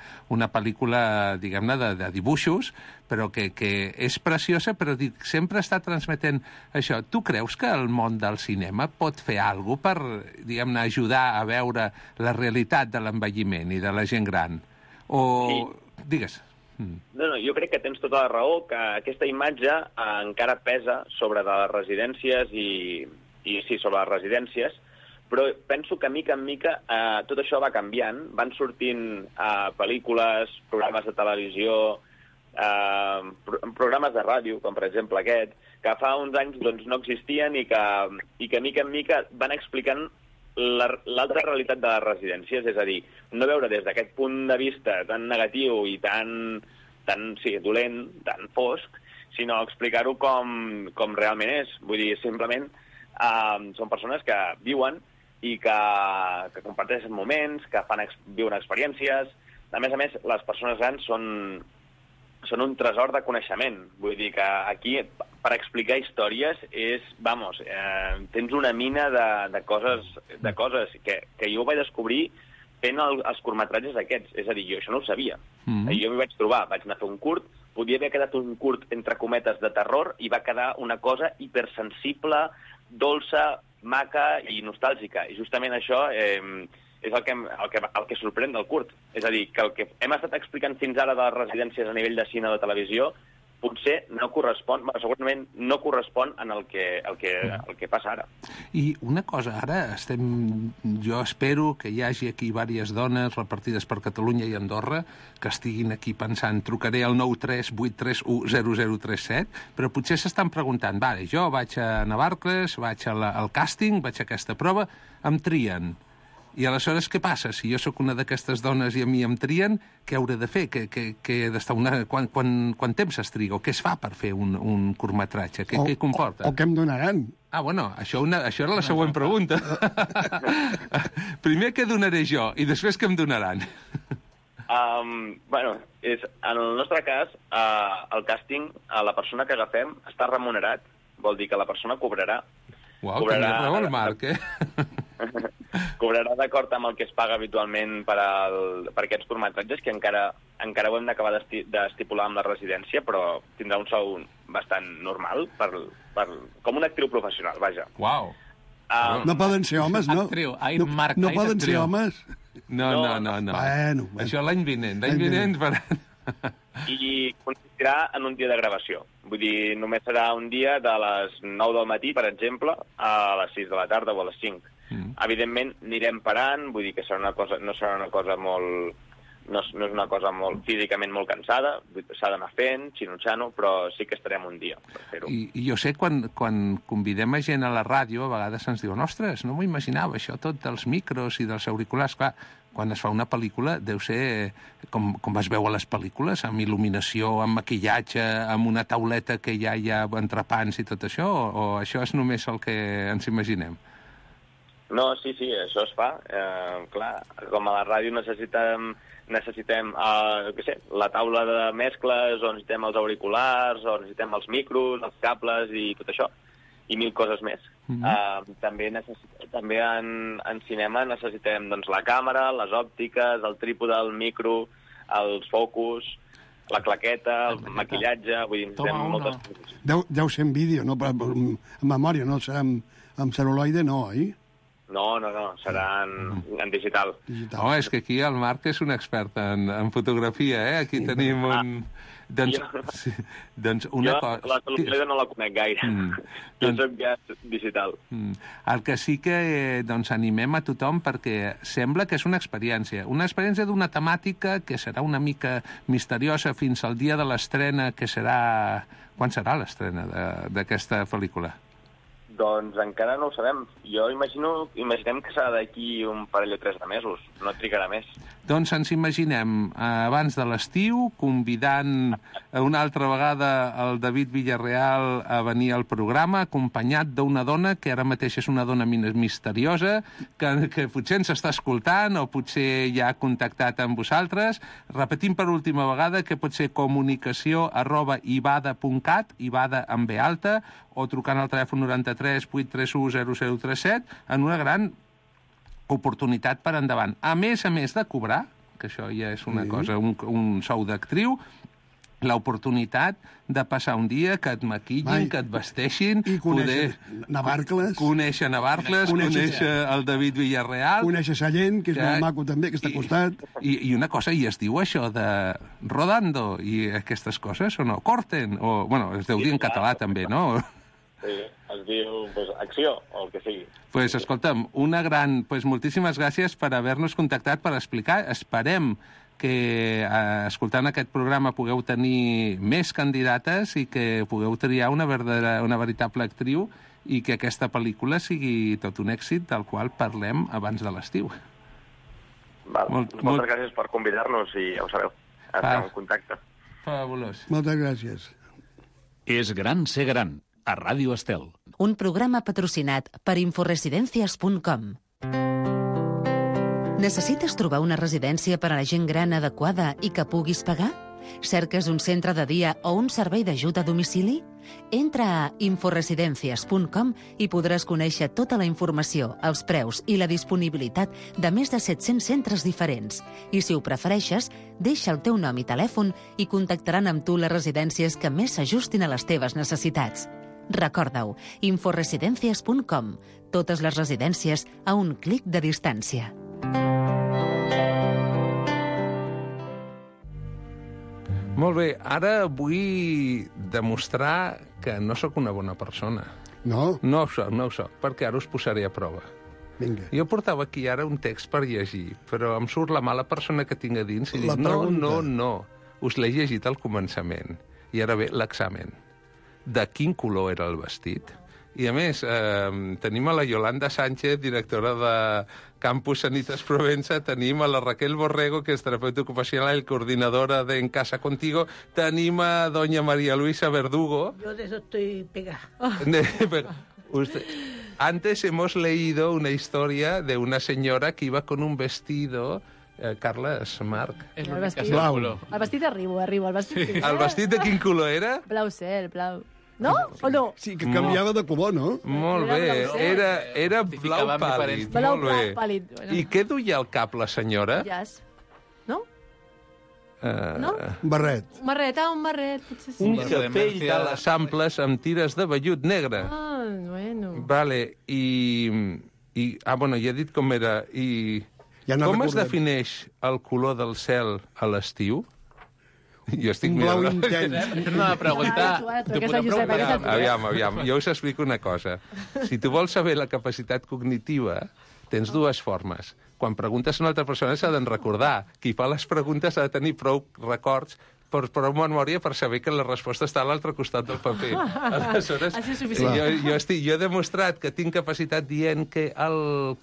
pel·lícula, diguem-ne, de dibuixos, però que és preciosa, però sempre està transmetent això. Tu creus que el món del cinema pot fer alguna cosa per, diguem-ne, ajudar a veure la realitat de l'envelliment i de la gent gran? O... Sí. Digues. No, jo crec que tens tota la raó, que aquesta imatge encara pesa sobre de les residències i sí, sobre les residències, però penso que mica en mica tot això va canviant, van sortint pel·lícules, programes de televisió, programes de ràdio, com per exemple aquest, que fa uns anys doncs, no existien i que mica en mica van explicant l'altra realitat de les residències, és a dir, no veure des d'aquest punt de vista tan negatiu i tan dolent, tan fosc, sinó explicar-ho com realment és. Vull dir, simplement són persones que viuen i que comparteixen moments, que viuen experiències. A més, les persones grans són un tresor de coneixement. Vull dir que aquí, per explicar històries, tens una mina de coses que jo vaig descobrir fent els curtmetratges aquests. És a dir, jo això no ho sabia. Jo m'hi vaig trobar, vaig anar a fer un curt, podia haver quedat un curt, entre cometes, de terror, i va quedar una cosa hipersensible, dolça, maca i nostàlgica. I justament això és el que sorprèn del curt. És a dir, que el que hem estat explicant fins ara de les residències a nivell de cine o de televisió potser no correspon, segurament no correspon en el que passa ara. I una cosa, ara jo espero que hi hagi aquí diverses dones repartides per Catalunya i Andorra que estiguin aquí pensant, trucaré al 938310037, però potser s'estan preguntant, vale, jo vaig a Navarcles, vaig al càsting, vaig a aquesta prova, em trien. I aleshores què passa? Si jo sóc una d'aquestes dones i a mi em trien, què hauré de fer? Quant temps es triga? O què es fa per fer un curtmetratge? Què comporta? O què em donaran? Ah, bueno, això era la següent pregunta. Primer què donaré jo i després què em donaran? En el nostre cas, el càsting, la persona que agafem està remunerat, vol dir que la persona cobrarà. Uau, tenia raó el Marc, Cobrarà d'acord amb el que es paga habitualment per aquests curtmetratges, que encara ho hem d'acabar d'estipular amb la residència, però tindrà un sou bastant normal, com una actriu professional, vaja. Uau! No poden ser homes, no? Actriu, Marc, no poden ser homes? No. Bueno. Això l'any vinent. I consistirà en un dia de gravació. Vull dir, només serà un dia de les 9 del matí, per exemple, a les 6 de la tarda o a les 5. Evidentment, anirem parant, vull dir que no serà una cosa molt... No és una cosa físicament molt cansada, s'ha d'anar fent, xino-xano, però sí que estarem un dia per fer-ho. I jo sé, quan convidem a gent a la ràdio, a vegades ens diuen, ostres, no m'ho imaginava, això tot dels micros i dels auriculars. Clar, quan es fa una pel·lícula deu ser com es veu a les pel·lícules, amb il·luminació, amb maquillatge, amb una tauleta que ja hi ha entrepans i tot això, o això és només el que ens imaginem? No, sí, això es fa. Clar, com a la ràdio necessitem la taula de mescles, o necessitem els auriculars, o necessitem els micros, els cables i tot això, i mil coses més. També en cinema necessitem doncs, la càmera, les òptiques, el trípode, el micro, els focus, la claqueta, el maquillatge, vull dir, necessitem moltes coses. Deu ser en vídeo, no? En memòria, no? Serà en cel·luloide, no, oi? No, serà en digital. Oh, és que aquí el Marc és un expert en fotografia, eh? Aquí tenim un... Doncs una cosa... La cel·luloide no la conec gaire. Jo soc ja digital. El que sí que animem a tothom, perquè sembla que és una experiència d'una temàtica que serà una mica misteriosa fins al dia de l'estrena, que serà... Quan serà l'estrena d'aquesta pel·lícula? Doncs encara no ho sabem. Jo imaginem que serà d'aquí un parell o 3 de mesos. No trigarà més. Doncs ens imaginem abans de l'estiu, convidant una altra vegada el David Villarreal a venir al programa, acompanyat d'una dona que ara mateix és una dona misteriosa, que potser ens està escoltant o potser ja ha contactat amb vosaltres. Repetim per última vegada que pot ser comunicació@ivada.cat, Ivada amb B alta, o trucant al telèfon 93 831 0037, en una gran oportunitat per endavant. A més de cobrar, que això ja és una cosa, un sou d'actriu, l'oportunitat de passar un dia que et maquillin, que et vesteixin, i conèixer Navarcles, conèixer el David Villarreal, conèixer Sallent, que és molt maco també, que està al costat. I una cosa, i es diu això de rodando i aquestes coses, o no? Corten, o, bueno, es deu dir en català també, no? Sí, es diu acció, o el que sigui. Pues escolta'm, moltíssimes gràcies per haver-nos contactat, per explicar. Esperem que escoltant aquest programa pugueu tenir més candidates i que pugueu triar una veritable actriu i que aquesta pel·lícula sigui tot un èxit del qual parlem abans de l'estiu. Moltes gràcies per convidar-nos i ja ho sabeu, estem en contacte. Fabulós. Moltes gràcies. És gran ser gran, a Ràdio Estel. Un programa patrocinat per inforesidencias.com. Necessites trobar una residència per a la gent gran adequada i que puguis pagar? Cerques un centre de dia o un servei d'ajut a domicili? Entra a inforesidencias.com i podràs conèixer tota la informació, els preus i la disponibilitat de més de 700 centres diferents. I si ho prefereixes, deixa el teu nom i telèfon i contactaran amb tu les residències que més s'ajustin a les teves necessitats. Recorda-ho, inforesidencias.com. Totes les residències a un clic de distància. Molt bé, ara vull demostrar que no sóc una bona persona. No? No ho soc, perquè ara us posaré a prova. Vinga. Jo portava aquí ara un text per llegir, però em surt la mala persona que tinc a dins i dic, no, us l'he llegit al començament. I ara ve l'examen. De quin color era el vestit? I a més, tenim a la Yolanda Sánchez, directora de Campus Sanitas Provenza, tenim a la Raquel Borrego, que és terapeuta ocupacional y coordinadora de En Casa Contigo, tenim a doña María Luisa Verdugo. Yo de eso estoy pegada. Antes hemos leído una historia de una señora que iba con un vestido... Carles, Marc. El vestit arribo. El vestit el vestit de quin color era? Blau cel, blau. No? O no? Sí, que canviava de color, no? Molt bé, era blau pàl·lid. Blau pàl·lid. I què duia al cap la senyora? Jazz. No? No? Un barret. Un barret, potser sí. Un capell de les amples amb tires de vellut negre. Ah, bueno. Vale, bueno, ja he dit com era. I com es defineix el color del cel a l'estiu? Jo estic Un blau mirant... intens. Una pregunta... Aviam, jo us explico una cosa. Si tu vols saber la capacitat cognitiva, tens dues formes. Quan preguntes a una altra persona s'ha de recordar. Qui fa les preguntes ha de tenir prou records, prou memòria per saber que la resposta està a l'altre costat del paper. Aleshores, jo he demostrat que tinc capacitat dient que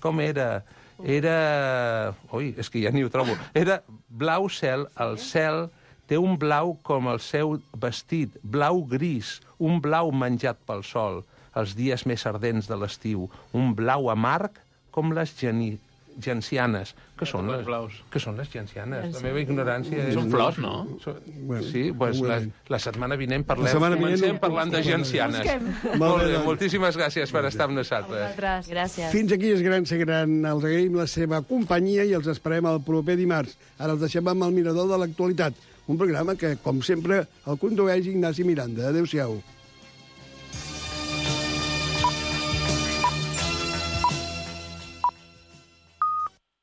com era? Ui, és que ja ni ho trobo. Era blau cel, el cel té un blau com el seu vestit, blau gris, un blau menjat pel sol, els dies més ardents de l'estiu, un blau amarg com les gencianes. Què són les gencianes? La meva ignorància és... Són flors, no? Sí, doncs la setmana vinent comencem parlant de gencianes. Molt bé, moltíssimes gràcies per estar amb nosaltres. Gràcies. Fins aquí és gran ser gran. Els agraïm la seva companyia i els esperem el proper dimarts. Ara els deixem amb el mirador de l'actualitat. Un programa que, com sempre, el condueix Ignasi Miranda. Adéu-siau.